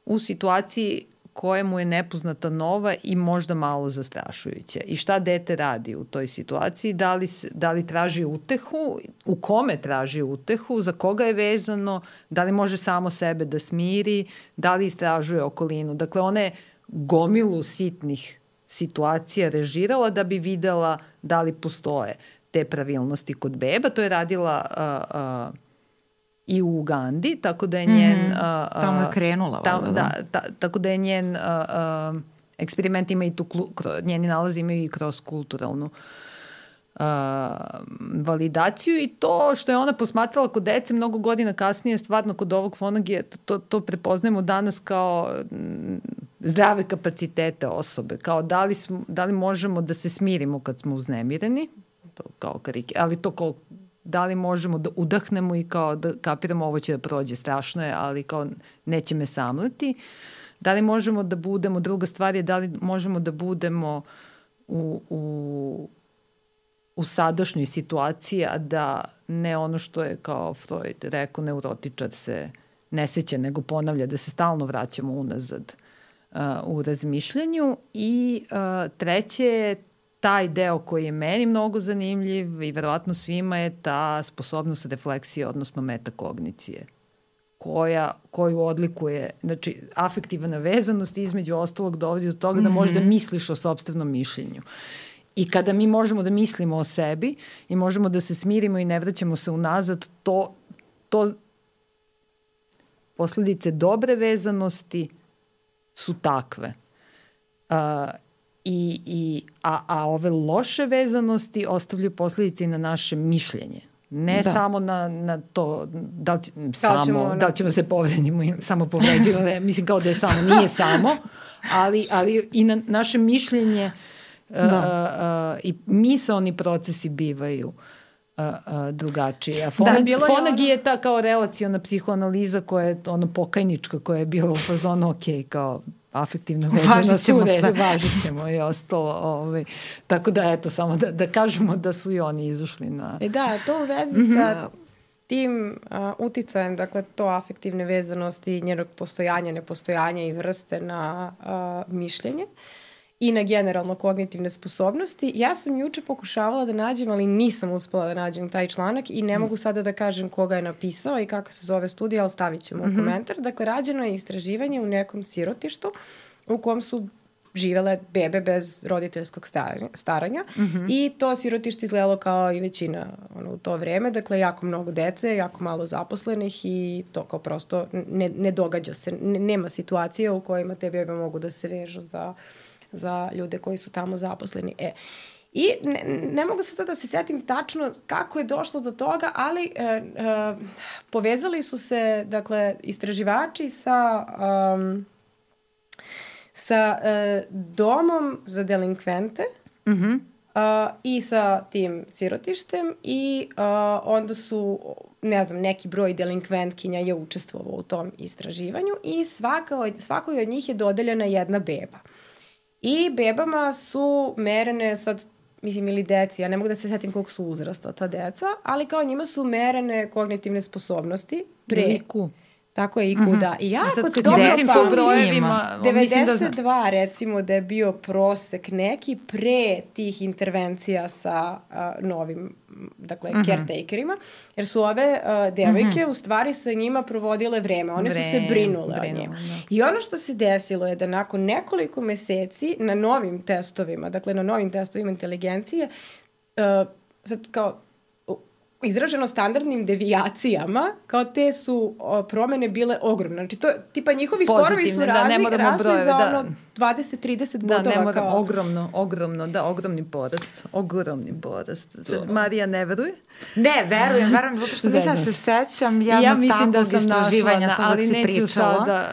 u situaciji koja mu je nepoznata, nova i možda malo zastrašujuća. I šta dete radi u toj situaciji? Da li, da li traži utehu? U kome traži utehu? Za koga je vezano? Da li može samo sebe da smiri? Da li istražuje okolinu? Dakle, ona je gomilu sitnih situacija režirala da bi videla da li postoje te pravilnosti kod beba. To je radila uh, uh, i u Ugandi, tako da je njen... Mm-hmm. A, a, tamo je krenula. Tam, da, da, ta, tako da je njen a, a, eksperiment ima i tu, njeni nalazi imaju i kroz kulturalnu Uh, validaciju i to što je ona posmatrala kod dece mnogo godina kasnije, stvarno kod ovog Fonagija, to, to prepoznajemo danas kao m, zdrave kapacitete osobe, kao da li, smo, da li možemo da se smirimo kad smo uznemireni, to kao karike, ali to kao da li možemo da udahnemo i kao da kapiramo ovo će da prođe, strašno je, ali kao neće me samleti. Da li možemo da budemo, druga stvar je da li možemo da budemo u, u u sadašnjoj situaciji, a da ne ono što je kao Freud rekao, neurotičar se ne seća, nego ponavlja, da se stalno vraćamo unazad uh, u razmišljanju. I uh, treće je taj deo koji je meni mnogo zanimljiv i verovatno svima je ta sposobnost refleksije, odnosno metakognicije, koja, koju odlikuje, znači, afektivna vezanost između ostalog dovodi do toga da mm-hmm. možda misliš o sopstvenom mišljenju. I kada mi možemo da mislimo o sebi i možemo da se smirimo i ne vraćamo se unazad, to, to posledice dobre vezanosti su takve. Uh, i, i, a, a ove loše vezanosti ostavljaju posledice i na naše mišljenje. Ne da. samo na, na to da li, samo, ćemo, da li ćemo se povredimo i samo povređujemo, mislim kao da je samo, nije samo, ali, ali i na naše mišljenje da. uh, uh, i misaoni procesi bivaju uh, uh, drugačije. A Fonag, da, Fonagi je, ono... je ta kao relaciona psihoanaliza koja je ono pokajnička, koja je bila u fazonu ok, kao afektivna vezana sure, važit ćemo i ostalo. Ovaj. Tako da, eto, samo da, da kažemo da su i oni izušli na... E da, to u vezi mm-hmm. sa tim uh, uticajem, dakle, to afektivne vezanosti, njenog postojanja, nepostojanja i vrste na uh, mišljenje i na generalno kognitivne sposobnosti. Ja sam juče pokušavala da nađem, ali nisam uspela da nađem taj članak i ne mogu sada da kažem koga je napisao i kako se zove studija, ali stavit ćemo mm-hmm. u komentar. Dakle, rađeno je istraživanje u nekom sirotištu u kom su živele bebe bez roditeljskog staranja, staranja mm-hmm. i to sirotište izgledalo kao i većina ono, u to vreme. Dakle, jako mnogo dece, jako malo zaposlenih i to kao prosto ne, ne događa se. Ne, nema situacije u kojima te bebe mogu da se vežu za za ljude koji su tamo zaposleni. E, I ne, ne mogu sada da se setim tačno kako je došlo do toga, ali e, e, povezali su se, dakle, istraživači sa, um, sa e, domom za delinkvente mm-hmm. uh, i sa tim sirotištem i uh, onda su, ne znam, neki broj delinkventkinja je učestvovao u tom istraživanju i svaka od, svakoj od njih je dodeljena jedna beba. I bebama su merene sad, mislim, ili deci, ja ne mogu da se setim koliko su uzrasta ta deca, ali kao njima su merene kognitivne sposobnosti pre... I Q. Tako je I Q, mm-hmm. da. I ja kod toga pa devedeset dva da recimo da je bio prosek neki pre tih intervencija sa uh, novim, dakle, mm-hmm. caretakerima, jer su ove uh, devojke mm-hmm. u stvari sa njima provodile vreme. One vreme, su se brinule o njima. Da. I ono što se desilo je da nakon nekoliko meseci na novim testovima, dakle na novim testovima inteligencije, uh, sad kao izraženo standardnim devijacijama, kao te su o, promene bile ogromne. Znači, to, tipa, njihovi skorovi su razli, da, razli brojeve, za ono da. dvadeset trideset bodova. Da, ne moram, kao... ogromno, ogromno, da, ogromni porast. Ogromni porast. Sad, Marija ne veruje? Ne, verujem, verujem, zato što mislim da se sećam jednog ja mislim takvog da istraživanja našla, sam dok si pričala. Sada,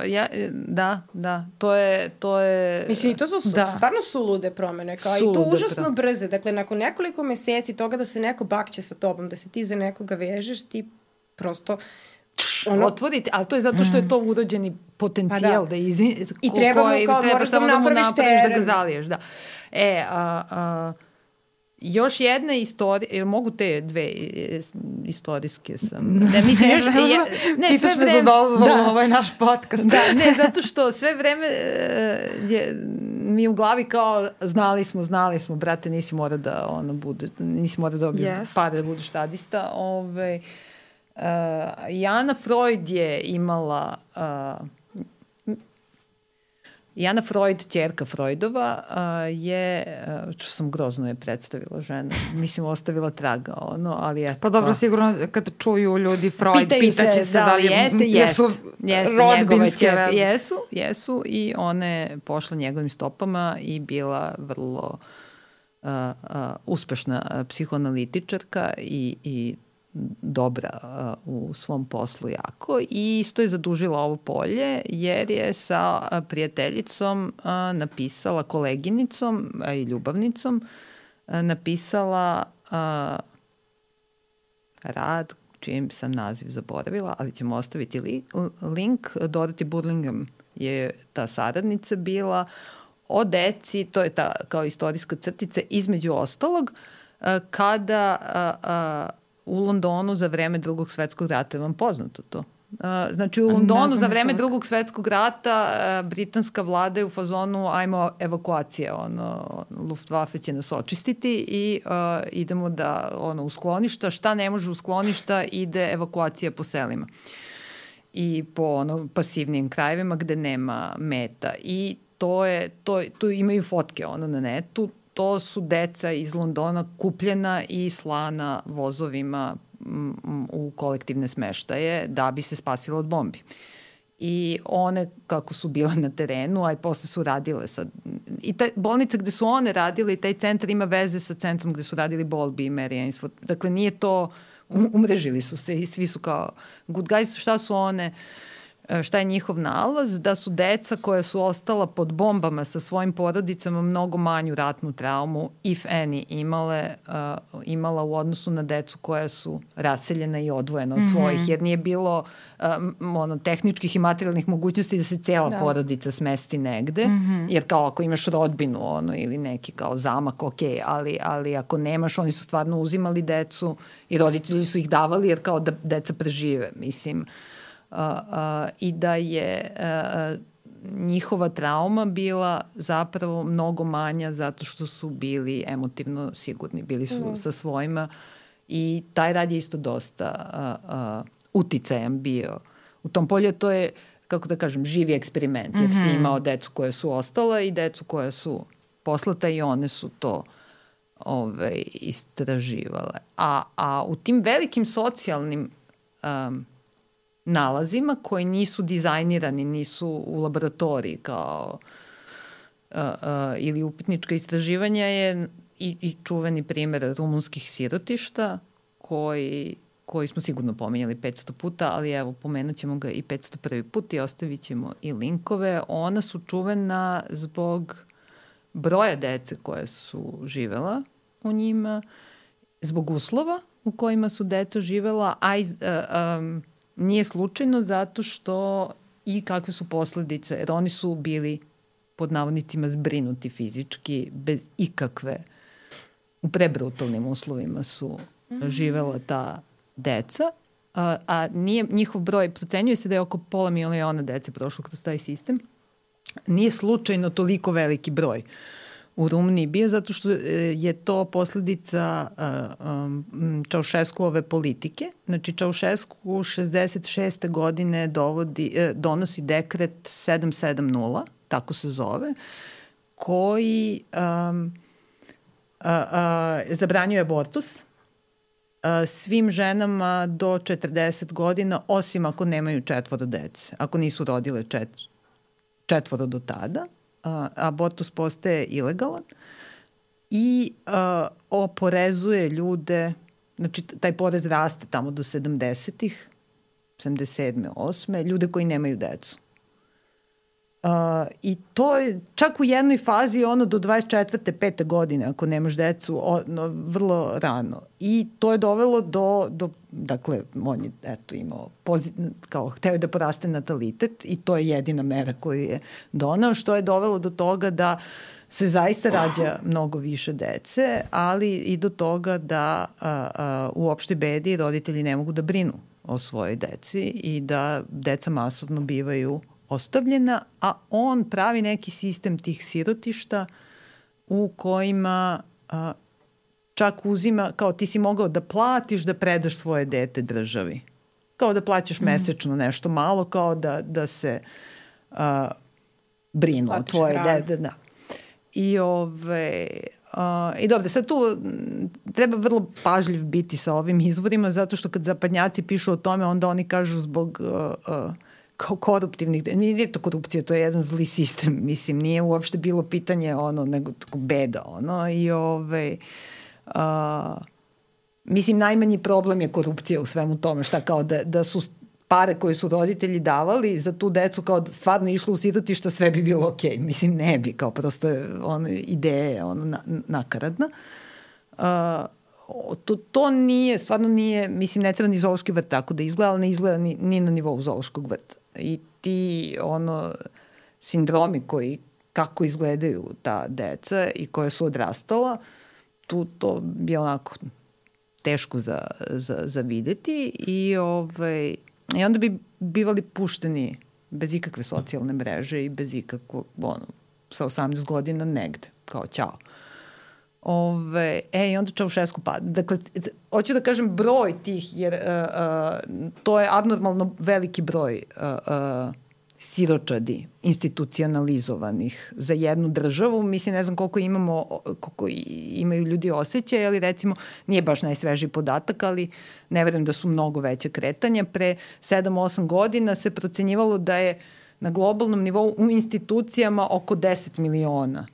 uh, ja, da, da, to je... To je mislim, i to su da. stvarno sulude promene, kao sulude, i to užasno pra. brze. Dakle, nakon nekoliko meseci toga da se neko bakće sa tobom, da se ti za nekoga vežeš, ti prosto... Ono, otvoriti, ali to je zato što je to urođeni potencijal pa da. da izvi, i treba mu kao treba samo da mu napraviš da ga zaliješ, da. E, a, a, još jedna istorija, ili mogu te dve istorijske sam, ne mislim još, ja, ne, sve vreme, za dozvolu, da, ovo je naš podcast. Da, ne, zato što sve vreme je, mi u glavi kao znali smo, znali smo, brate, nisi mora da ono bude, nisi mora da dobiju yes. pare da budeš sadista, ovaj, uh, Jana Freud je imala uh, I Ana Freud, ćerka Freudova, uh, je, uh, što sam grozno je predstavila žena, mislim ostavila traga, ono, ali eto. Pa dobro, sigurno kad čuju ljudi Freud, pitaće se da, da li jeste, jesu jeste, rodbinske veze. Jesu, jesu i ona je pošla njegovim stopama i bila vrlo uh, uh, uspešna psihoanalitičarka i, i dobra uh, u svom poslu jako i isto je zadužila ovo polje jer je sa uh, prijateljicom uh, napisala, koleginicom uh, i ljubavnicom uh, napisala uh, rad čijem sam naziv zaboravila, ali ćemo ostaviti li, link. Dorothy Burlingham je ta saradnica bila o deci, to je ta kao istorijska crtica između ostalog uh, kada uh, uh, u Londonu za vreme drugog svetskog rata, je vam poznato to? Uh, znači u Londonu za vreme drugog svetskog rata uh, britanska vlada je u fazonu ajmo evakuacije, ono, Luftwaffe će nas očistiti i uh, idemo da ono, u skloništa, šta ne može u skloništa, ide evakuacija po selima i po ono, pasivnim krajevima gde nema meta i to je, to, to imaju fotke ono na netu. To su deca iz Londona kupljena i slana vozovima u kolektivne smeštaje da bi se spasila od bombi. I one kako su bile na terenu, a i posle su radile sad. I ta bolnica gde su one radile i taj centar ima veze sa centrom gde su radili Bowlby i Mary Ainsworth. Dakle, nije to, umrežili su se i svi su kao good guys. Šta su one... šta je njihov nalaz, da su deca koja su ostala pod bombama sa svojim porodicama mnogo manju ratnu traumu, if any, imale, uh, imala u odnosu na decu koja su raseljena i odvojena od svojih, jer nije bilo um, ono, tehničkih i materijalnih mogućnosti da se cela da. porodica smesti negde, mm-hmm. jer kao ako imaš rodbinu ono, ili neki kao zamak, ok, ali, ali ako nemaš, oni su stvarno uzimali decu i roditelji su ih davali jer kao da deca prežive, mislim. Uh, uh, i da je uh, njihova trauma bila zapravo mnogo manja zato što su bili emotivno sigurni, bili su mm. sa svojima i taj rad je isto dosta uh, uh, uticajan bio. U tom polju to je, kako da kažem, živi eksperiment, jer mm-hmm. si imao decu koje su ostala i decu koje su poslata i one su to ove, istraživale. A, a u tim velikim socijalnim um, nalazima koji nisu dizajnirani, nisu u laboratoriji kao uh, uh, ili upitnička istraživanja je i, i čuveni primer rumunskih sirotišta koji, koji smo sigurno pominjali petsto puta, ali evo pomenut ćemo ga i petsto prvi put i ostavit ćemo i linkove. Ona su čuvena zbog broja dece koje su živela u njima, zbog uslova u kojima su deca živela, a iz, uh, um, nije slučajno zato što i kakve su posledice, jer oni su bili pod navodnicima zbrinuti fizički, bez ikakve, u prebrutalnim uslovima su živela ta deca, a, a nije, njihov broj, procenjuje se da je oko pola miliona dece prošlo kroz taj sistem, nije slučajno toliko veliki broj u Rumuniji bio, zato što je to posledica uh, um, Čaušeskuove politike. Znači, Čaušesku šezdeset šeste godine dovodi, uh, donosi dekret sedam sedam nula, tako se zove, koji um, uh, uh, zabranjuje abortus uh, svim ženama do četrdeset godina, osim ako nemaju četvoro dece, ako nisu rodile čet, četvoro do tada. Uh, abortus postaje ilegalan i uh, oporezuje ljude, znači taj porez raste tamo do sedamdesetih, sedamdeset sedme, osme, ljude koji nemaju decu. Uh, I to je čak u jednoj fazi ono do dvadeset četvrte pete godine ako nemaš decu, ono, vrlo rano. I to je dovelo do, do dakle, on je eto, imao pozit, kao hteo da poraste natalitet i to je jedina mera koju je donao, što je dovelo do toga da se zaista rađa mnogo više dece, ali i do toga da a, a, u opštoj bedi roditelji ne mogu da brinu o svojoj deci i da deca masovno bivaju ostavljena, a on pravi neki sistem tih sirotišta u kojima a, čak uzima, kao ti si mogao da platiš da predaš svoje dete državi. Kao da plaćaš mm. mesečno nešto malo, kao da, da se a, brinu o tvoje dede, da. I ove, uh, i dobro, sad tu treba vrlo pažljiv biti sa ovim izvorima, zato što kad zapadnjaci pišu o tome, onda oni kažu zbog uh, uh, kao koruptivnih, nije to korupcija, to je jedan zli sistem, mislim, nije uopšte bilo pitanje ono, nego tako beda, ono, i ove, uh, mislim, najmanji problem je korupcija u svemu tome, šta kao da, da su pare koje su roditelji davali za tu decu kao da stvarno išlo u sirotišta, sve bi bilo okej. Okay. Mislim, ne bi, kao prosto je ono, ideje ono, na, nakaradna. Uh, to, to nije, stvarno nije, mislim, ne treba ni zoološki vrt tako da izgleda, ali ne izgleda ni, ni na nivou zoološkog vrta. I ti, ono, sindromi koji, kako izgledaju ta deca i koje su odrastala, tu to je onako teško za, za, za videti i ovaj, i onda bi bivali pušteni bez ikakve socijalne mreže i bez ikakvog, ono, sa osamnaest godina negde, kao ćao. Ove, e, i onda Čaušesku pada. Dakle, hoću da kažem broj tih, jer uh, uh, to je abnormalno veliki broj uh, uh, siročadi institucionalizovanih za jednu državu. Mislim, ne znam koliko imamo, koliko imaju ljudi osjećaj, ali recimo nije baš najsvežiji podatak, ali ne verujem da su mnogo veće kretanja. Pre sedam osam godina se procenjivalo da je na globalnom nivou u institucijama oko deset miliona.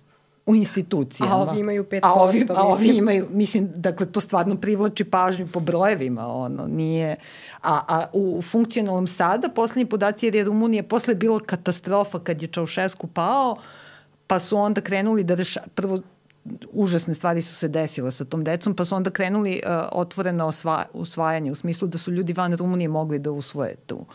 U institucijama. A ovi imaju pet posto. A ovi, a ovi imaju, mislim, dakle, to stvarno privlači pažnju po brojevima, ono, nije... A, a u funkcionalnom sada, poslednji podaci, jer je Rumunija posle bilo katastrofa kad je Čaušesku pao, pa su onda krenuli da reša... Prvo, užasne stvari su se desile sa tom decom, pa su onda krenuli uh, otvoreno osva... usvajanje, u smislu da su ljudi van Rumunije mogli da usvoje tu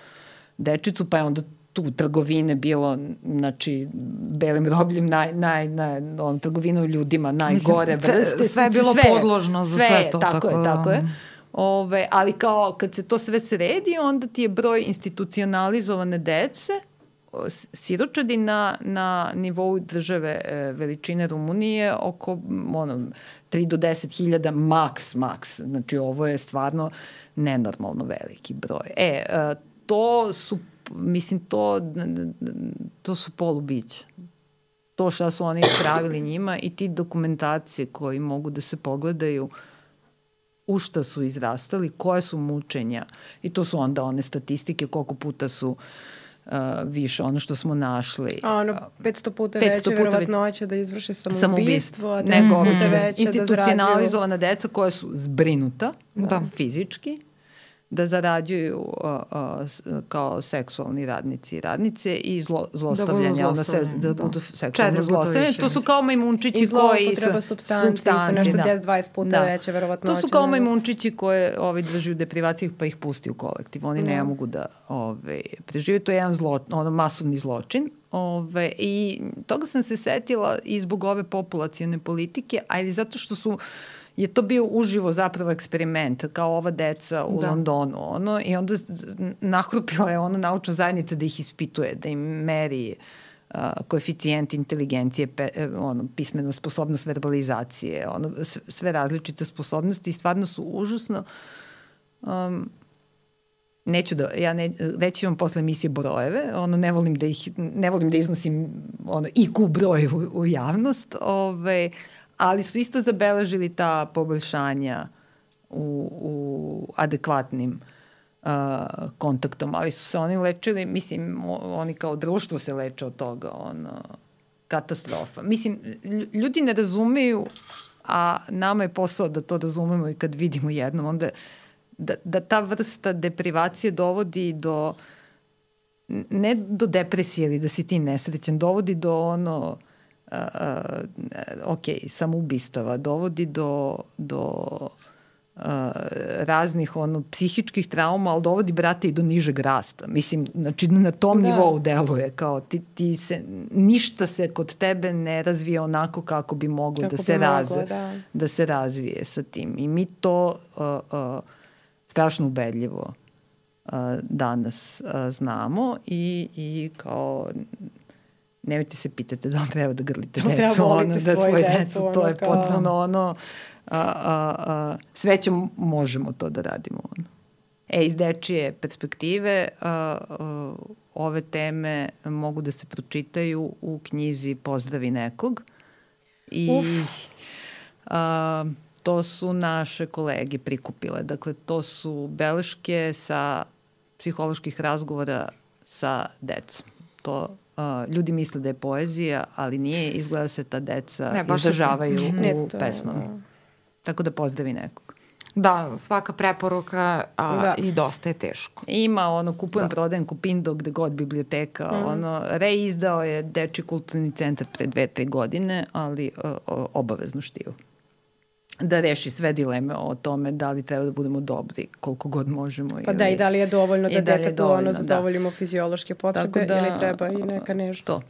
dečicu, pa je onda tu trgovine bilo, znači, belim robljem, naj, naj, naj, on, trgovinu ljudima, najgore Mislim, vrste. Sve je bilo sve, podložno za sve, sve to. Tako, tako je, tako je. Ove, ali kao kad se to sve sredi, onda ti je broj institucionalizovane dece, siročadi na, na nivou države e, veličine Rumunije oko ono, tri do deset hiljada maks, maks. Znači, ovo je stvarno nenormalno veliki broj. E, e to su mislim, to, to su polubića. To šta su oni pravili njima i ti dokumentacije koji mogu da se pogledaju u šta su izrastali, koje su mučenja. I to su onda one statistike koliko puta su uh, više, ono što smo našli. A ono, petsto puta veće verovatnoća da izvrši samoubistvo, a deset puta veće da zarađuju. Institucionalizovana deca koja su zbrinuta da. fizički, da zarađuju uh, uh, kao seksualni radnici i radnice i zlo, zlostavljanja, onda se, da budu seksualno zlostavljanje. To su kao majmunčići koji... I zloupotreba supstanci, isto nešto deset do dvadeset puta da. veće, verovatno. To su kao majmunčići koje ovaj, drži u deprivaciji pa ih pusti u kolektiv. Oni da. ne mogu da ovaj, prežive. To je jedan zlo, ono, masovni zločin. Ove, I toga sam se setila i zbog ove populacione politike, ali zato što su je to bio uživo zapravo eksperiment, kao ova deca u da. Londonu, ono, i onda nahrupila je ono naučna zajednica da ih ispituje, da im meri uh, koeficijent inteligencije, pe, ono, pismeno sposobnost verbalizacije, ono, sve različite sposobnosti i stvarno su užasno. Um, neću da, ja ne, reći vam posle emisije brojeve, ono, ne volim da ih, ne volim da iznosim ono, I Q broj u, u javnost, ove, ali su isto zabeležili ta poboljšanja u, u adekvatnim uh, kontaktom, ali su se oni lečili, mislim, oni kao društvo se leče od toga, ono, katastrofa. Mislim, ljudi ne razumeju, a nama je posao da to razumemo i kad vidimo jednom, onda da, da ta vrsta deprivacije dovodi do, ne do depresije ili da si ti nesrećan, dovodi do ono, Uh, uh, ok, samoubistava, dovodi do, do uh, raznih ono, psihičkih trauma, ali dovodi, brate, i do nižeg rasta. Mislim, znači na tom da. nivou deluje, kao ti, ti se, ništa se kod tebe ne razvije onako kako bi moglo kako da se, razve, da. da se razvije sa tim. I mi to uh, uh, strašno ubedljivo uh, danas uh, znamo i, i kao nemojte se pitate da li treba da grlite da decu, ono, da svoje decu, decu, ono, to je kao... potpuno ono, a, a, a, srećom možemo to da radimo. Ono. E, iz dečije perspektive, a, a, ove teme mogu da se pročitaju u knjizi Pozdravi nekog. I a, to su naše kolege prikupile. Dakle, to su beleške sa psiholoških razgovora sa decom. To a, ljudi misle da je poezija, ali nije. Izgleda se ta deca ne, izražavaju u ne, to... pesmama. Tako da pozdravi nekog. Da, svaka preporuka a, da. I dosta je teško. Ima ono, kupujem, da. Prodajem, Kupindo, gde god biblioteka. Mm. Ono, reizdao je Dečiji kulturni centar pre dve, tre godine, ali o, o, obavezno štivo. Da reši sve dileme o tome da li treba da budemo dobri koliko god možemo. Pa ili, da, i da li je dovoljno da, da detetu ono zadovoljimo da. Fiziološke potrebe da. Ili treba i neka nežnost. To.